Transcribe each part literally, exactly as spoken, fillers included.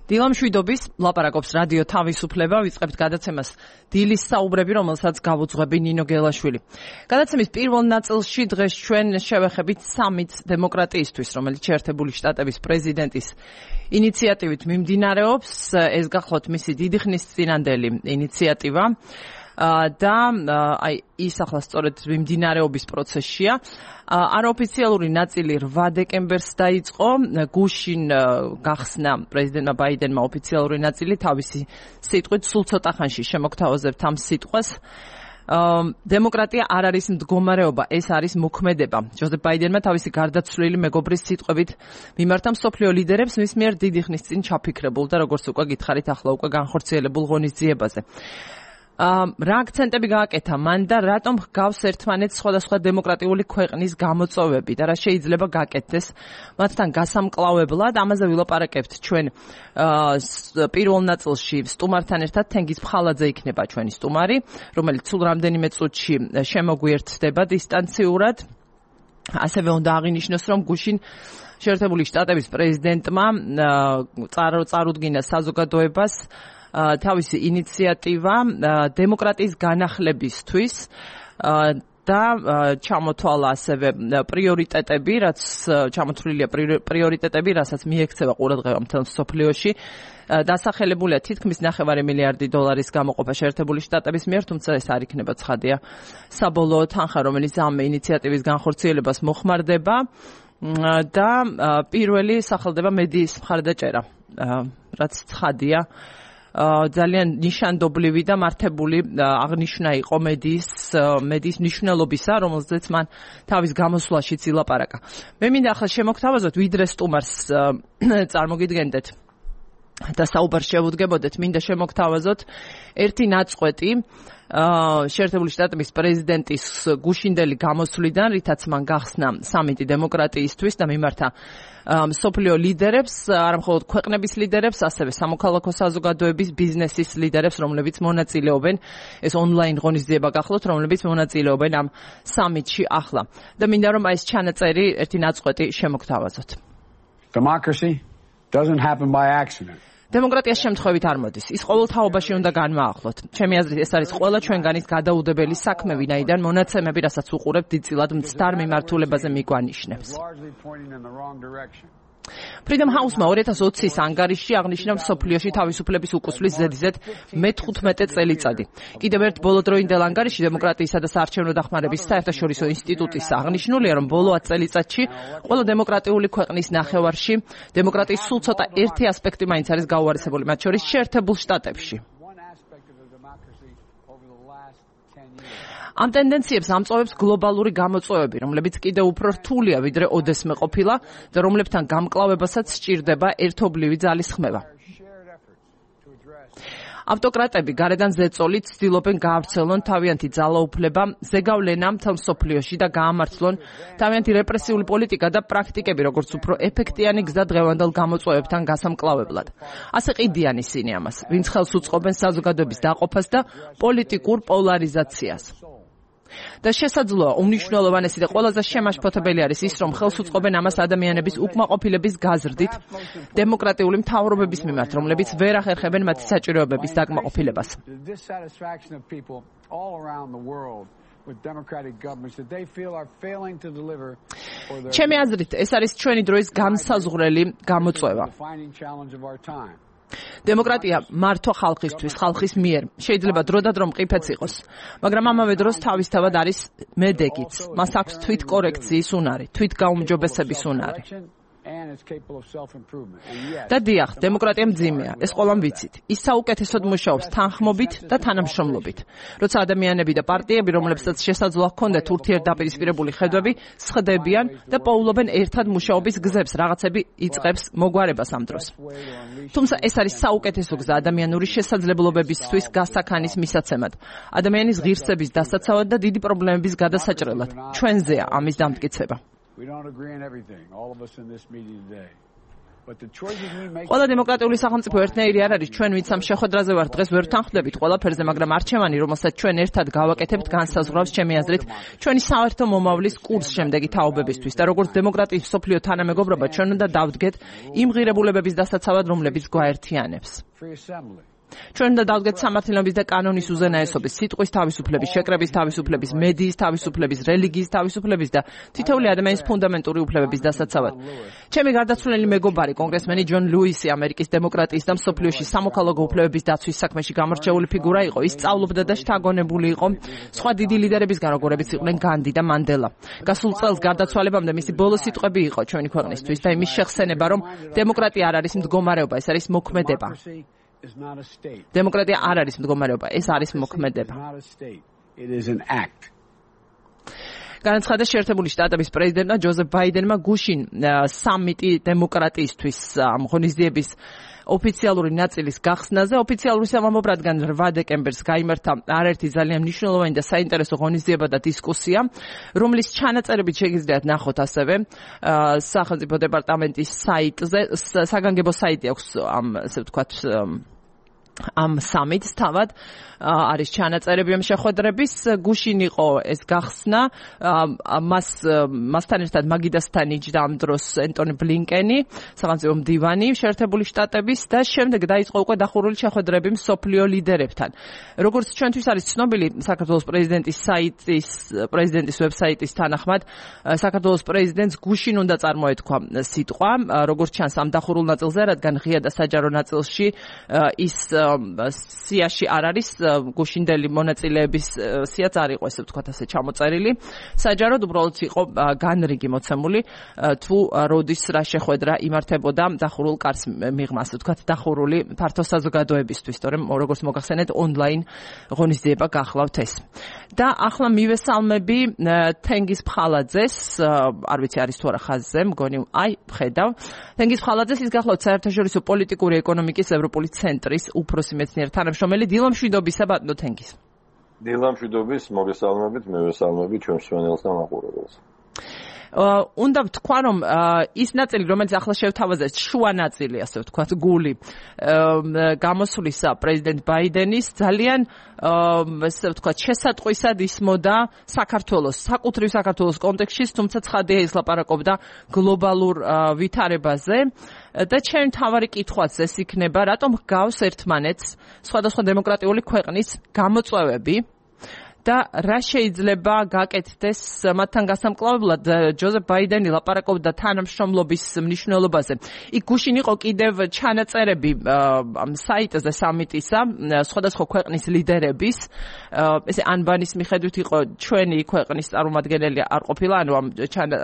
დილამშვიდობის ლაპარაკობს რადიო თავისუფლება, ვიწყებთ გადაცემას დილის საუბრები, რომელსაც გავუძღვები ნინო გელაშვილი. გადაცემის პირველ ნაწილში დღეს ჩვენ შევეხებით სამით დემოკრატიისთვის, რომელიც შეერთებული შტატების პრეზიდენტის ინიციატივით მიმდინარეობს. ეს გახლავთ მისი დიდი ხნის წინანდელი ინიციატივა. და აი ის ახლა სწორედ მიმდინარეობის პროცესშია. არაოფიციალური ნაწილი რვა დეკემბერს დაიწყო. გუშინ გახსნა პრეზიდენტმა ბაიდენმა ოფიციალური ნაწილი, თავისი სიტყვით სულ ცოტა ხანში შემოგთავაზებთ ამ სიტყვას. დემოკრატია არ არის მდგომარეობა, ეს არის მოქმედება. ჯოზეფ ბაიდენმა თავისი გარდაცვლილი მეგობრის სიტყვებით მიმართა მსოფლიო ლიდერებს მის მიერ დიდი ხნის წინ ჩაფიქრებულ და როგორც უკვე გითხარით, ახლა უკვე განხორციელებულ ღონისძიებაზე. რა აქცენტები გააკეთა მან და რატომ ჰგავს ერთმანეთს სხვადასხვა დემოკრატიული ქვეყნის გამოწვევები და რა შეიძლება გაკეთდეს მათთან გასამკლავებლად. ამაზე ვილაპარაკებთ ჩვენ პირველ ნაწილში სტუმართან ერთად. თენგიზ ფხალაძე იქნება ჩვენი სტუმარი, რომელიც სულ რამდენიმე წუთში შემოგვიერთდება დისტანციურად. ასევე უნდა აღინიშნოს, რომ გუშინ შეერთებული შტატების პრეზიდენტმა წარუდგინა საზოგადოებას თავისი ინიციატივა დემოკრატიის განახლებისთვის და ჩამოთვალა ასევე პრიორიტეტები, რაც ჩამოთვლილია პრიორიტეტები, რასაც მიექცევა ყურადღება მთელ მსოფლიოში. დასახელებულია თითქმის ნახევარი მილიარდი დოლარის გამოყოფა შეერთებული შტატების მიერ, თუმცა ეს არ იქნება ცხადია საბოლოო თანხა, რომელიც ამ ინიციატივის განხორციელებას მოხმარდება და პირველი სახელდება მედიის მხარდაჭერა, რაც ცხადია ძალიან ნიშანდობლივი და მართებული აღნიშვნა იყო მედიის მედიის მნიშვნელობისა, რომელზეც მან თავის გამოსვლაშიც ილაპარაკა. მე მინდა ახლა შემოგთავაზოთ, ვიდრე სტუმარს წარმოგიდგენდეთ და საუბარს შევუდგებოდეთ, მინდა შემოგთავაზოთ ერთი ნაწყვეტი შეერთებული შტატების პრეზიდენტის გუშინდელი გამოსვლიდან, რითაც მან გახსნა სამიტი დემოკრატიისთვის და მიმართა მსოფლიო ლიდერებს, არა მხოლოდ ქვეყნების ლიდერებს, ასევე სამოქალაქო საზოგადოების, ბიზნესის ლიდერებს, რომლებიც მონაწილეობენ, ეს ონლაინ ღონისძიება გახლავთ, რომლებიც მონაწილეობენ ამ სამიტში ახლა. და მინდა რომ აი ეს ჩანაწერი ერთი ნაწყვეტი შემოგთავაზოთ. Democracy doesn't happen by accident. დემოკრატია შემთხვევით არ მოდის. ის ყოველთაობაში უნდა განმაახლოთ. ჩემი აზრით, ეს არის ყველა ჩვენგანის გადაუდებელი საქმე, ვინაიდან მონაცემები, რასაც უყურებთ, დიდწილად მცდარ მიმართულებაზე მიგვანიშნებს. Freedom House-მა ორი ათას ოცის ანგარიშში აღნიშნა მსოფლიოში თავისუფლების უკუსვლის ზედიზედ მეთხუთმეტე წელიწადი. კიდევ ერთ ბოლოდროინდელ ანგარიშში დემოკრატიისა და საარჩევნო დახმარების საერთაშორისო ინსტიტუტის აღნიშნულია, რომ ბოლო ათ წელიწადში ყველა დემოკრატიული ქვეყნის ნახევარში დემოკრატიის სულ ცოტა ერთი ასპექტი მაინც არის გაუარესებული, მათ შორის შეერთებულ შტატებში. ამ ტენდენციებს ამწოვებს გლობალური გამოწვევები, რომლებიც კიდევ უფრო რთულია ვიდრე ოდესმე ყოფილა და რომლებთან გამკლავებასაც სჭირდება ერთობლივი ძალისხმევა. ავტოკრატები გარედან ზეწოლით ცდილობენ გაავრცელონ თავიანთი ძალაუფლება, ზეგავლენა მთელ მსოფლიოში და გაამართლონ თავიანთი რეპრესიული პოლიტიკა და პრაქტიკები, როგორც უფრო ეფექტიანი გზა დღევანდელ გამოწვევებთან გასამკლავებლად. ასე ყიდიან ისინი ამას, ვინც ხელს უწყობენ საზოგადოების დაყოფას და პოლიტიკურ პოლარიზაციას. და შესაძლოა უმნიშვნელოვანესი და ყველაზე შემაშფოთებელი არის ის, რომ ხელს უწყობენ ამას ადამიანების უკმაყოფილების გაზრდით დემოკრატიული მთავრობების მიმართ, რომლებიც ვერ ახერხებენ მათი საჭიროებების დაკმაყოფილებას. ჩემი აზრით, ეს არის ჩვენი დროის განსაზღვრელი გამოწვევა. დემოკრატია მართვა ხალხისთვის, ხალხის მიერ. შეიძლება დროდადრო მყიფეც იყოს, მაგრამ ამავე დროს თავისთავად არის მედეგიც. მას აქვს თვითკორექციის უნარი, თვითგაუმჯობესების უნარი. და დიახ, დემოკრატია მძიმეა, ეს ყველამ ვიცით. ის საუკეთესოდ მუშაობს თანხმობით და თანამშრომლობით. როცა ადამიანები და პარტიები, რომლებსაც შესაძლოა ჰქონდეთ ურთიერთდაპირისპირებული ხედვები, სხდებიან და პოულობენ ერთად მუშაობის გზებს, რაღაცები იწყებს მოგვარებას ამ დროს. თუმცა ეს არის საუკეთესო გზა ადამიანური შესაძლებლობებისთვის გასაქანის მისაცემად, ადამიანის ღირსების დასაცავად და დიდი პრობლემების გადასაჭრელად. ჩვენზეა ამის დამტკიცება. We don't agree on everything, all of us in this meeting today. ყველა დემოკრატიული სახელმწიფო ერთნაირი არ არის, ჩვენ ვინც ამ შეხვედრაზე ვართ დღეს ვერ ვთანხმდებით ყველაფერზე, მაგრამ არჩევანი, რომელსაც ჩვენ ერთად გავაკეთებთ, განსაზღვრავს ჩემი აზრით ჩვენი საერთო მომავლის კურს შემდეგი თაობებისთვის და როგორც დემოკრატიის მსოფლიო თანამეგობრობა ჩვენ უნდა დავდგეთ იმ ღირებულებების დასაცავად, რომლებიც გვაერთიანებს. ჩვენ უნდა დავდგეთ სამართლიანობის და კანონის უზენაესობის, სიტყვის თავისუფლების, შეკრების თავისუფლების, მედიის თავისუფლების, რელიგიის თავისუფლების და თითოეული ადამიანის ფუნდამენტური უფლებების დასაცავად. ჩემი გარდაცვლილი მეგობარი, კონგრესმენი ჯონ ლუისი, ამერიკის დემოკრატიის და მსოფლიოში სამოქალაქო უფლებების დაცვის საქმეში გამორჩეული ფიგურა იყო. ის სწავლობდა და შთაგონებული იყო სხვა დიდი ლიდერებისგან, როგორებიც იყვნენ განდი და მანდელა. გასულ წელს გარდაცვალებამდე მისი ბოლო სიტყვები იყო ჩვენი ქვეყნისთვის და იმის შეხსენება, რომ დემოკრატია არ არის მდგომარეობა, ეს არის მოქმედება. დემოკრატია არ არის მდგომარეობა, ეს არის მოქმედება. განაცხადა შეერთებული შტატების პრეზიდენტმა ჯოზეფ ბაიდენმა გუშინ სამიტი დემოკრატიისთვის ამ ღონისძიების ოფიციალური ნაწილის გახსნაზე. ოფიციალური სამამულო რადგან რვა დეკემბერს გაიმართა არაერთი ძალიან მნიშვნელოვანი და საინტერესო ღონისძიება და დისკუსია, რომლის ჩანაწერებით შეგიძლიათ ნახოთ ასევე სახელმწიფო დეპარტამენტის საიტზე, საგანგებო საიტი აქვს ამ ასე ვთქვათ ამ სამიტს თავად არის ჩანაწერები ამ შეხვედრების. გუშინ იყო ეს გახსნა, მას მასთან ერთად მაგიდასთან იჯდა ამ დროს ენტონი ბლინკენი, სახელმწიფო მდივანი შეერთებული შტატების და შემდეგ დაიწყო უკვე დახურული შეხვედრები მსოფლიო ლიდერებთან. როგორც ჩვენთვის არის ცნობილი, საქართველოს პრეზიდენტის საიტის პრეზიდენტის ვებსაიტის თანახმად, საქართველოს პრეზიდენტს გუშინ უნდა წარმოეთქვა სიტყვა, როგორც ჩანს ამ დახურულ ნაწილზე, რადგან ღია და საჯარო ნაწილში ის სიაში არ არის, გუშინდელი მონაწილეების სიაც არ იყო, ესე ვთქვათ, ასე ჩამოწერილი. საჯაროდ უბრალოდ იყო განრიგი მოცემული, თუ როდის რა შეხვედრა იმართებოდა დახურულ კარს მიღმა, ასე ვთქვათ, დახურული ფართო საზოგადოებისთვის, თორემ როგორც მოგახსენეთ, ონლაინ ღონისძიება გახლავთ ეს. და ახლა მივესალმები თენგიზ ფხალაძეს, არ ვიცი არის თუ არა ხაზზე, მგონი, აი, ხედავ. თენგიზ ფხალაძეს ის გახლავთ საერთაშორისო პოლიტიკური ეკონომიკის ევროპული ცენტრის უფროსი მეცნიერ თანამშრომელი. დილამშვიდობისა ბატონო თენგიზ. დილამშვიდობის, მოგესალმებით, მევესალმებით ჩვენ მსმენელს და მაყურებელს. უნდა ვთქვა, რომ ის ნაწილი, რომელიც ახლა შევთავაზეთ, შუა ნაწილი, ასე ვთქვათ, გული გამოსვლისა პრეზიდენტ ბაიდენის ძალიან ასე ვთქვათ, შესატყვისად ისმოდა საქართველოს, საკუთრივ საქართველოს კონტექსტში, თუმცა ცხადია ის ლაპარაკობდა გლობალურ ვითარებაზე. და ჩემი მთავარი კითხვაც ეს იქნება, რატომ ჰგავს ერთმანეთს სხვადასხვა დემოკრატიული ქვეყნის გამოწვევები და რა შეიძლება გაკეთდეს მათთან გასამკლავებლად. ჯოზეფ ბაიდენი ლაპარაკობდა თანამშრომლობის მნიშვნელობაზე. იქ გუშინ იყო კიდევ ჩანაწერები ამ საიტზე სამიტისა, სხვადასხვა ქვეყნის ლიდერების, ესე ანბანის მიხედვით იყო ჩვენი ქვეყნის წარმომადგენელი არ ყოფილა, ანუ ამ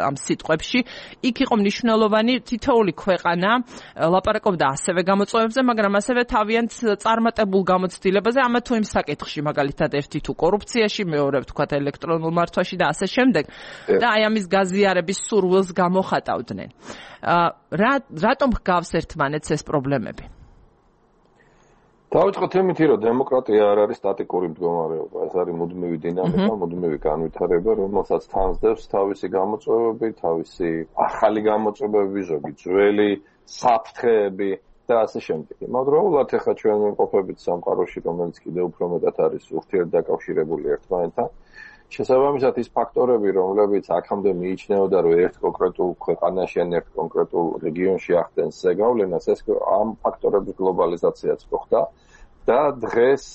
ამ სიტყვებში. იქ იყო მნიშვნელოვანი თითოეული ქვეყანა ლაპარაკობდა ასევე გამოწვევებზე, მაგრამ ასევე თავიანთ წარმატებულ გამოცდილებაზე, ამა თუ იმ საკითხში, მაგალითად ერთი თუ კორუფცია, მეორე ვთქვათ ელექტრონულ მართვაში და ასე შემდეგ და აი ამის გაზიარების სურვილს გამოხატავდნენ. რა რატომ ჰგავს ერთმანეთს ეს პრობლემები? დავიწყოთ იმითი, რომ დემოკრატია არ არის სტატიკური მდგომარეობა, ეს არის მუდმივი დინამიკა, მუდმივი განვითარება, რომელსაც თანსდევს თავისი გამოწვევები, თავისი ახალი გამოწვევები, ზოგი ძველი საფრთხეები და ასე შემდეგ. იმავდროულად ახლა ჩვენ ვიმყოფებით სამყაროში, რომელიც კიდევ უფრო მეტად არის ურთიერთდაკავშირებული ერთმანეთთან. შესაბამისად ის ფაქტორები, რომლებიც აქამდე მიიჩნეოდა, რომ ერთ კონკრეტულ ქვეყანაში ან ერთ კონკრეტულ რეგიონში ახდენს ზეგავლენას, ეს ამ ფაქტორების გლობალიზაციაც მოხდა და დღეს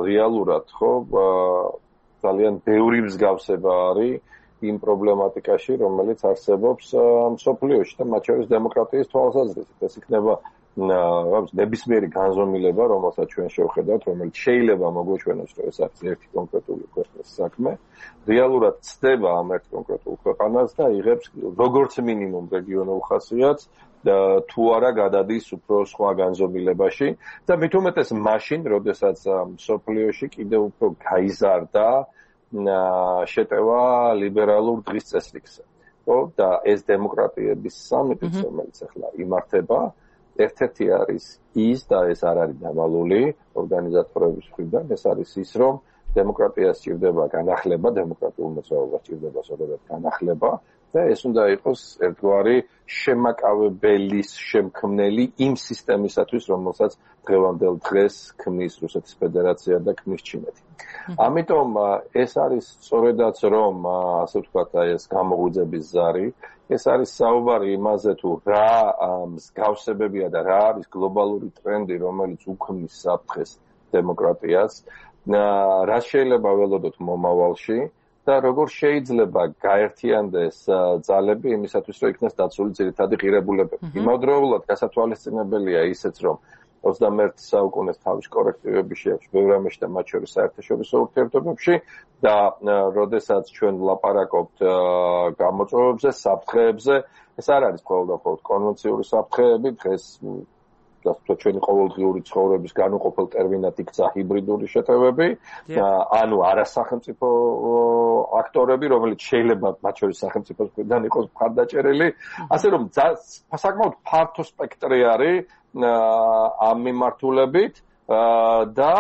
რეალურად ხო ძალიან ბევრი მსგავსება არის იმ პრობლემატიკაში, რომელიც არსებობს მსოფლიოში და მათ შორის დემოკრატიის თვალსაზრისით. ეს იქნება ნებისმიერი განზომილება, რომელსაც ჩვენ შევხედავთ, რომელიც შეიძლება მოგვეჩვენოს, რომ ეს არის ერთი კონკრეტული ქვეყნის საქმე. რეალურად ცდება ამ ერთ კონკრეტულ ქვეყანას და იღებს როგორც მინიმუმ რეგიონულ ხასიათს და თუ არა გადადის უფრო სხვა განზომილებაში და მით უმეტეს მაშინ, როდესაც მსოფლიოში კიდევ უფრო გაიზარდა შეტევა ლიბერალურ დღის წესრიგზე. ხო, და ეს დემოკრატიების სამიტი, რომელიც ახლა იმართება, ერთ-ერთი არის ის და ეს არ არის დამალული ორგანიზატორების მხრიდან, ეს არის ის, რომ დემოკრატიას სჭირდება განახლება, დემოკრატიულ მოძრაობას სჭირდება სწორედ განახლება და ეს უნდა იყოს ერთგვარი შემაკავებელის შემქმნელი იმ სისტემისათვის, რომელსაც დღევანდელ დღეს ქმნის რუსეთის ფედერაცია და ქმნის ჩინეთი. ამიტომ ეს არის სწორედაც რომ ასე ვთქვათ, აი ეს გამოღვიძების ზარი, ეს არის საუბარი იმაზე თუ რა მსგავსებებია და რა არის გლობალური ტრენდი, რომელიც უქმნის საფრთხეს დემოკრატიას, რა შეიძლება ველოდოთ მომავალში და როგორ შეიძლება გაერთიანდეს ძალები იმისათვის, რომ იქნეს დაცული ძირითადი ღირებულებები. იმავდროულად გასათვალისწინებელია ისეც, რომ ოცდამეერთე საუკუნეს თავის კორექტივები შეაქვს ბევრ რამეში და მათ შორის საერთაშორისო ურთიერთობებში და როდესაც ჩვენ ვლაპარაკობთ გამოწვევებზე, საფრთხეებზე, ეს არ არის მხოლოდ და მხოლოდ კონვენციური საფრთხეები, დღეს და ჩვენი ყოველდღიური ცხოვრების განუყოფელ ტერმინად იქცა ჰიბრიდული შეტევები, ანუ არასახელმწიფო აქტორები, რომელიც შეიძლება მათ შორის სახელმწიფოსგან იყოს მხარდაჭერილი, ასე რომ საკმაოდ ფართო სპექტრი არის ამ მიმართულებით და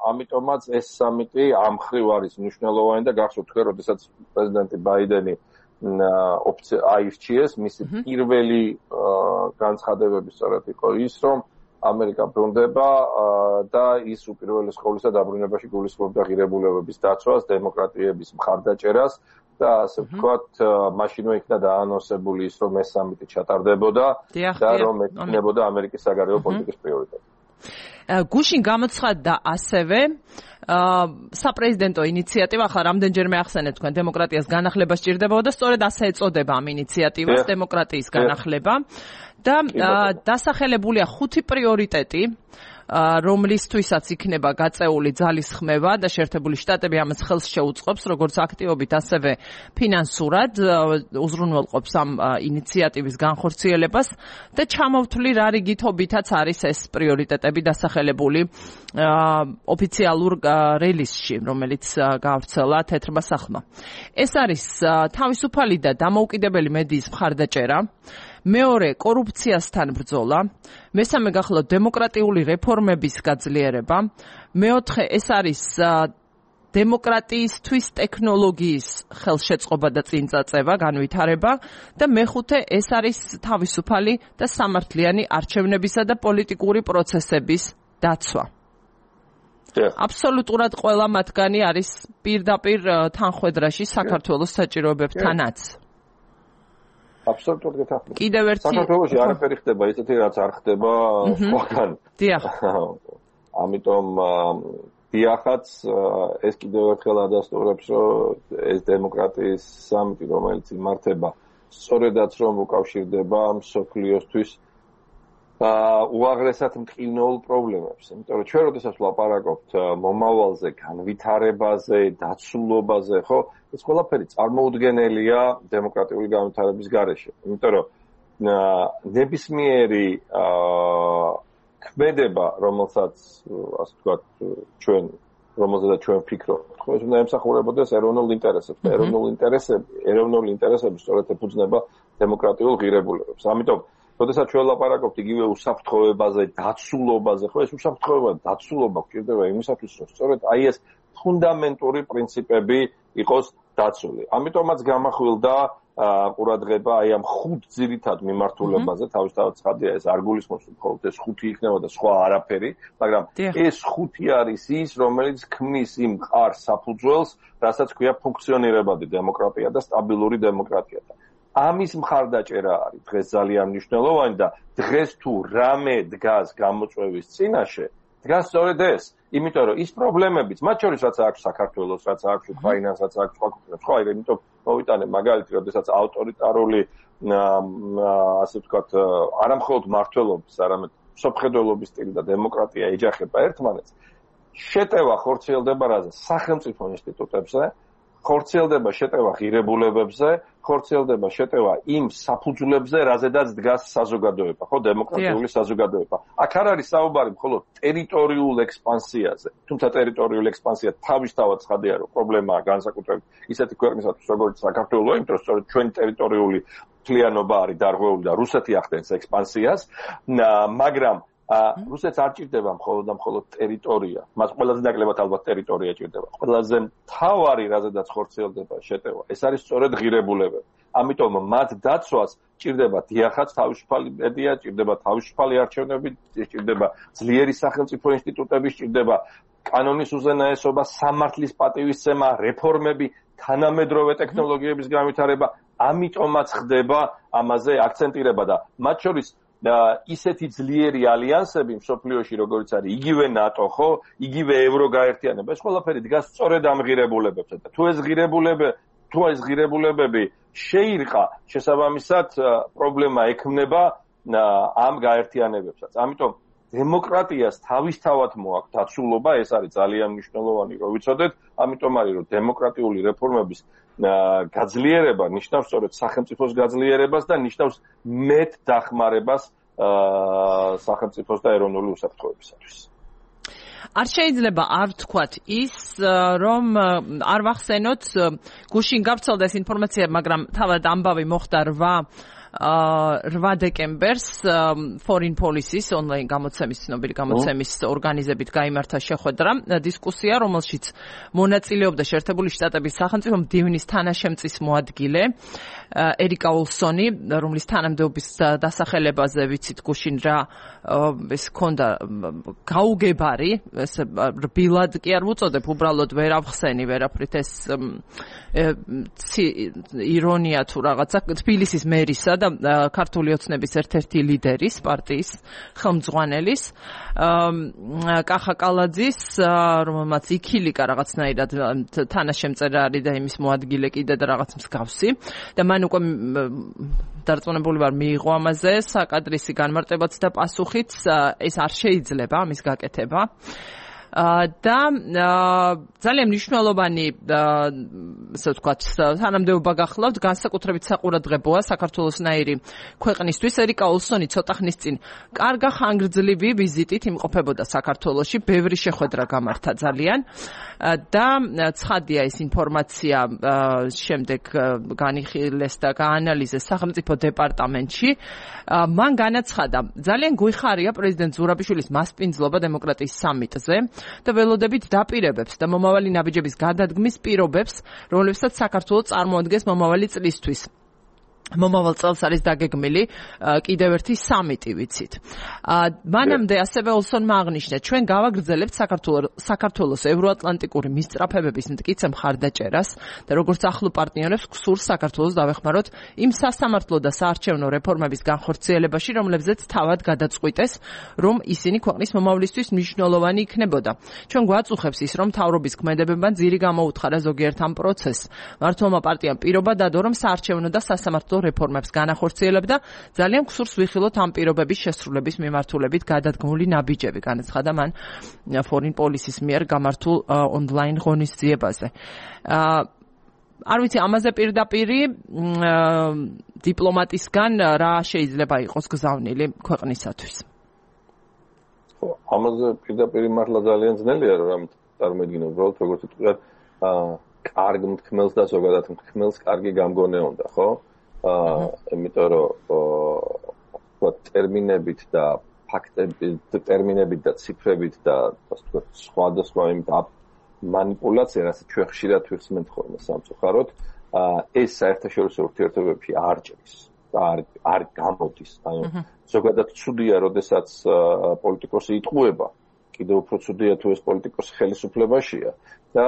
ამიტომაც ეს სამიტი ამ მხრივ არის მნიშვნელოვანი და გახსოვთ თქვენ, როდესაც პრეზიდენტი ბაიდენი აირჩიეს, მისი პირველი განცხადებები სწორედ იყო ის, რომ ამერიკა ბრუნდება და ის უპირველეს ყოვლისა დაბრუნებაში გულისხმობდა ღირებულებების დაცვას, დემოკრატიების მხარდაჭერას და ასე ვთქვათ, მაშინვე იქნა დაანონსებული ის, რომ ეს სამიტი ჩატარდებოდა და რომ ექნებოდა ამერიკის საგარეო პოლიტიკის პრიორიტეტი. გუშინ გამოცხადდა ასევე საპრეზიდენტო ინიციატივა, ახლა რამდენჯერმე ახსენეთ თქვენ, დემოკრატიას განახლება სჭირდებოდა და სწორედ ასე ეწოდება ამ ინიციატივას, დემოკრატიის განახლება და დასახელებულია ხუთი პრიორიტეტი, რომლისთვისაც იქნება გაწეული ძალისხმევა და შეერთებული შტატები ამას ხელს შეუწყობს, როგორც აქტივობით, ასევე ფინანსურად უზრუნველყოფს ამ ინიციატივის განხორციელებას და ჩამოვთვლი რა რიგითობითაც არის ეს პრიორიტეტები დასახელებული ოფიციალურ რელიზში, რომელიც გავრცელა თეთრმა სახლმა. ეს არის თავისუფალი და დამოუკიდებელი მედიის მხარდაჭერა, მეორე კორუფციასთან ბრძოლა, მესამე გახლავთ დემოკრატიული რეფორმების გაძლიერება, მეოთხე ეს არის დემოკრატიისთვის ტექნოლოგიის ხელშეწყობა და წინწაწევა, განვითარება და მეხუთე ეს არის თავისუფალი და სამართლიანი არჩევნებისა და პოლიტიკური პროცესების დაცვა. აბსოლუტურად ყველა მათგანი არის პირდაპირ თანხვედრაში საქართველოს საჭიროებებთანაც. აბსოლუტურად გეთახმებით. კიდევ ერთი საქართველოში არაფერი ხდება, ისეთი რაც არ ხდება სხვაგან. დიახ. ამიტომ დიახაც ეს კიდევ ერთხელ ადასტურებს, რომ ეს დემოკრატიის სამიტი, რომელიც იმართება, სწორედაც რომ უკავშირდება მსოფლიოსთვის უაღრესად მტკივნეულ პრობლემებს. იმიტომ რომ ჩვენ როდესაც ვლაპარაკობთ მომავალზე, განვითარებაზე, დაცულობაზე, ხო, ეს ყველაფერი წარმოუდგენელია დემოკრატიული განვითარების გარეშე. იმიტომ რომ ნებისმიერი ქმედება, რომელსაც ასე ვთქვათ, ჩვენ რომელზედაც ჩვენ ვფიქრობთ, ხო, ეს უნდა ემსახურებოდეს ეროვნულ ინტერესებს. ეროვნული ინტერესები, ეროვნული ინტერესები სწორედ ეფუძნება დემოკრატიულ ღირებულებებს. ამიტომ როდესაც ჩვენ ვლაპარაკობთ იგივე უსაფრთხოებაზე, დაცულობაზე, ხო, ეს უსაფრთხოება, დაცულობა გვჭირდება იმისათვის, რომ სწორედ აი ეს ფუნდამენტური პრინციპები იყოს დაცული. ამიტომაც გამახვილდა ყურადღება აი ამ ხუთ ძირითად მიმართულებაზე, თავისთავად ცხადია, ეს არ გულისხმობს მხოლოდ ეს ხუთი იქნება და სხვა არაფერი, მაგრამ ეს ხუთი არის ის, რომელიც ქმნის იმ მყარ საფუძველს, რასაც ქვია ფუნქციონირებადი დემოკრატია და სტაბილური დემოკრატია. ამის მხარდაჭერა არის დღეს ძალიან მნიშვნელოვანი და დღეს თუ რამე დგას გამოწვევის წინაშე, დგას სწორედ ეს. იმიტომ რომ ის პრობლემებიც, მათ შორის რაც აქვს საქართველოს, რაც აქვს უკრაინას, რაც აქვს სხვა ქვეყნებს, ხო, აი, იმიტომ მოვიტანე მაგალითი, როდესაც ავტორიტარული ასე ვთქვათ, არამხოლოდ მმართველობის, არამედ სოფხედველობის სტილი და დემოკრატია ეჯახება ერთმანეთს. შეტევა ხორციელდება რაზე? სახელმწიფო ინსტიტუტებზე, ხორციელდება შეტევა ღირებულებებზე, ხორციელდება შეტევა იმ საფუძვლებზე, რაზედაც დგას საზოგადოება, ხო, დემოკრატიული საზოგადოება. აქ არ არის საუბარი მხოლოდ ტერიტორიულ ექსპანსიაზე. თუმცა ტერიტორიული ექსპანსია თავისთავად ცხადია, რომ პრობლემაა განსაკუთრებით ისეთი ქვეყნისათვის, როგორც საქართველო, იმიტომ რომ სწორედ ჩვენი ტერიტორიული მთლიანობა არის დარღვეული და რუსეთი ახდენს ექსპანსიას, მაგრამ რუსეთს არ ჭირდება მხოლოდ და მხოლოდ ტერიტორია. მას ყველაზე ნაკლებად ალბათ ტერიტორია ჭირდება. ყველაზე მთავარი, რაზედაც ხორციელდება შეტევა, ეს არის სწორედ ღირებულებები. ამიტომ მათ დაცვას ჭირდება დიახაც თავისუფალი მედია, ჭირდება თავისუფალი არჩევნები, ჭირდება ძლიერი სახელმწიფო ინსტიტუტები, ჭირდება კანონის უზენაესობა, სამართლის პატივისცემა, რეფორმები, თანამედროვე ტექნოლოგიების განვითარება. ამიტომაც ხდება ამაზე აქცენტირება და მათ შორის ისეთი ძლიერი ალიანსები მსოფლიოში, როგორც არის იგივე ნატო, ხო, იგივე ევროგაერთიანება, ეს ყველაფერი დგას სწორედ ამ ღირებულებებზე და თუ ეს ღირებულებები, თუ ეს ღირებულებები შეირყა, შესაბამისად პრობლემა ექმნება ამ გაერთიანებებსაც. ამიტომ დემოკრატიას თავისთავად მოაქვს დაცულობა, ეს არის ძალიან მნიშვნელოვანი, რომ ვიცოდეთ, ამიტომ არის რომ დემოკრატიული რეფორმების გაძლიერება ნიშნავს სწორედ სახელმწიფოს გაძლიერებას და ნიშნავს მეტ დახმარებას სახელმწიფოს და ეროვნული უსაფრთხოებისათვის. არ შეიძლება არ ვთქვათ ის, რომ არ ვახსენოთ გუშინ გავრცელდა ეს ინფორმაცია, მაგრამ თავად ამბავი მოხდა რვა დეკემბერს Foreign Policy-ს ონლაინ გამოცემის ცნობილი გამოცემის ორგანიზებით გაიმართა შეხვედრა, დისკუსია, რომელშიც მონაწილეობდა შეერთებული შტატების სახელმწიფო მდივნის თანაშემწის მოადგილე ერიკა ოლსონი, რომლის თანამდებობის დასახელებაზე ვიცით გუშინ რა ეს ქონდა გაუგებარი, ეს რბილად კი არ ვუწოდებ, უბრალოდ ვერ ავხსენი ვერაფრით, ეს ირონია თუ რაღაცა თბილისის მერისა და ქართული ოცნების ერთ-ერთი ლიდერის, პარტიის ხელმძღვანელის, კახა კალაძის, რომელმაც იქილიკა რაღაცნაირად თანაშემწერი არის და იმის მოადგილე კიდე და რაღაც მსგავსი და მან უკვე დარწმუნებული ვარ მიიღო ამაზე საკადრისი განმარტებაც და პასუხიც, ეს არ შეიძლება ამის გაკეთება. და ძალიან მნიშვნელოვანი, ასე ვთქვათ, თანამდებობა გახლავთ, განსაკუთრებით საყურადღებოა საქართველოსნაირი ქვეყნისთვის. ერიკა ოლსონი ცოტა ხნის წინ კარგა ხანგრძლივი ვიზიტით იმყოფებოდა საქართველოში, ბევრი შეხვედრა გამართა ძალიან და ცხადია ეს ინფორმაცია შემდეგ განიხილეს და გაანალიზეს სახელმწიფო დეპარტამენტში. მან განაცხადა, ძალიან გვიხარია პრეზიდენტ ზურაბიშვილის მასპინძლობა დემოკრატიის სამიტზე და ველოდებით დაპირებებს და მომავალი ნაბიჯების გადადგმის პირობებს, რომლებსაც საქართველოს წარმოადგენს მომავალი წლისთვის. მომავალ წელს არის დაგეგმილი კიდევ ერთი სამიტი, ვიცით. მანამდე ასევე ოლსონმა აღნიშნა, ჩვენ გავაგრძელებთ საქართველოს ევროატლანტიკური მისწრაფებების მტკიცე მხარდაჭერას და როგორც ახლო პარტნიორებს გსურს საქართველოს დავეხმაროთ იმ სასამართლო და საარჩევნო რეფორმების განხორციელებაში, რომლებზეც თავად გადაწყვიტეს, რომ ისინი ქვეყნის მომავლისთვის მნიშვნელოვანი იქნებოდა. ჩვენ გვაწუხებს ის, რომ მთავრობის ქმედებებმა ძირი გამოუთხარა ზოგიერთ ამ პროცესს. მართლმა პარტიამ პირობა დადო, რომ საარჩევნო და სასამართლო რეფორმებს განახორციელებდა, ძალიან გსურს ვიხილოთ ამ პირობების შესრულების მიმართულებით გადადგმული ნაბიჯები, განაცხადა მან Foreign Policy-ს მიერ გამართულ ონლაინ ღონისძიებაზე. არ ვიცი, ამაზე პირდაპირი დიპლომატისგან რა შეიძლება იყოს გზავნილი ქვეყნისათვის? ამაზე პირდაპირი მართლა ძალიან ძნელია, რომ წარმოიდგინო, უბრალოდ როგორც ვთქვათ, კარგ მთქმელს და ზოგადად მთქმელს კარგი გამგონე უნდა, ხო? იმიტომ რომ ტერმინებით და ფაქტებით, ტერმინებით და ციფრებით და ასე ვთქვათ, სხვადასხვა იმ მანიპულაცია, რასაც ჩვენ ხშირად ვიხსენებთ ხოლმე სამწუხაროდ, ეს საერთაშორისო ურთიერთობებში არ ჭრის და არ არ გამოდის. ანუ ზოგადად ცუდია, როდესაც პოლიტიკოსი იტყუება, კიდევ უფრო ცუდია თუ ეს პოლიტიკოსი ხელისუფლებაშია და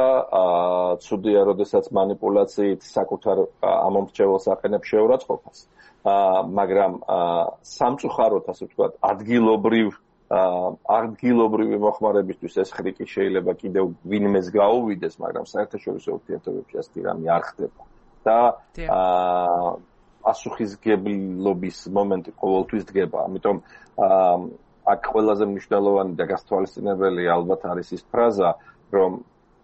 ცუდია, როდესაც მანიპულაციით საკუთარ ამომრჩეველს აყენებს შეურაცხყოფას. მაგრამ სამწუხაროდ, ასე ვთქვათ, ადგილობრივ ადგილობრივი მოხმარებისთვის ეს ხრიკი შეიძლება კიდევ ვინმეს გაუვიდეს, მაგრამ საერთაშორისო ურთიერთობებში ასეთი რამე არ ხდება. და პასუხისგებლობის მომენტი ყოველთვის დგება. ამიტომ აქ ყველაზე მნიშვნელოვანი და გასათვალისწინებელი ალბათ არის ის ფრაზა, რომ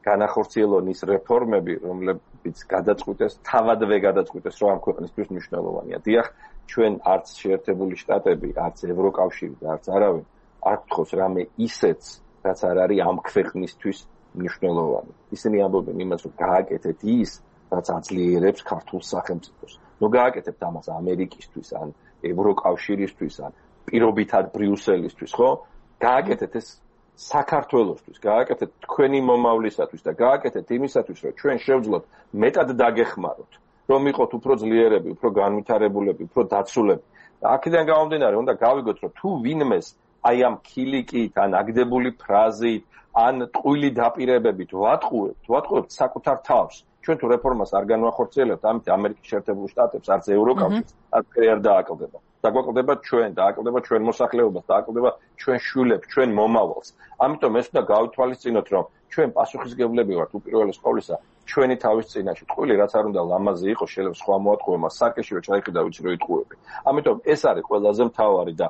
განახორციელონ ის რეფორმები, რომლებიც გადაწყვიტეს, თავადვე გადაწყვიტეს, რომ ამ ქვეყნისთვის მნიშვნელოვანია. დიახ, ჩვენ არც შეერთებული შტატები, არც ევროკავშირი და არც არავინ არ გთხოვს რამე ისეთს, რაც არ არის ამ ქვეყნისთვის მნიშვნელოვანი. ისინი ამბობენ იმას, რომ გააკეთეთ ის, რაც აძლიერებს ქართულ სახელმწიფოს. ნუ გააკეთებთ ამას ამერიკისთვის, ან ევროკავშირისთვის, ან პირობითად ბრიუსელისთვის, ხო? გააკეთეთ ეს საქართველოსთვის, გააკეთეთ თქვენი მომავლისათვის და გააკეთეთ იმისათვის, რომ ჩვენ შევძლოთ მეტად დაგეხმაროთ, რომ იყოთ უფრო ძლიერები, უფრო განვითარებულები, უფრო დაცულები. და აქედან გამომდინარე, უნდა გავიგოთ, რომ თუ ვინმეს აი ამ ქილიკით, ან აგდებული ფრაზით, ან ტყუილი დაპირებებით ვატყუებთ, ვატყუებთ საკუთარ თავს. ჩვენ თუ რეფორმას არ განვახორციელებთ, ამით ამერიკის შეერთებულ შტატებს, არც ევროკავშირს, არც არ დააკლდება. დაგვაკლდება ჩვენ, დააკლდება ჩვენ მოსახლეობას, დააკლდება ჩვენ შვილებს, ჩვენ მომავალს. ამიტომ ეს უნდა გავითვალისწინოთ, რომ ჩვენ პასუხისმგებლები ვართ უპირველეს ყოვლისა ჩვენი თავის წინაშე. ტყუილი რაც არ უნდა ლამაზი იყოს, შეიძლება სხვა მოატყუო, მას სარკეშივე ჩაიხედა, ვიცი რომ იტყუები. ამიტომ ეს არის ყველაზე მთავარი და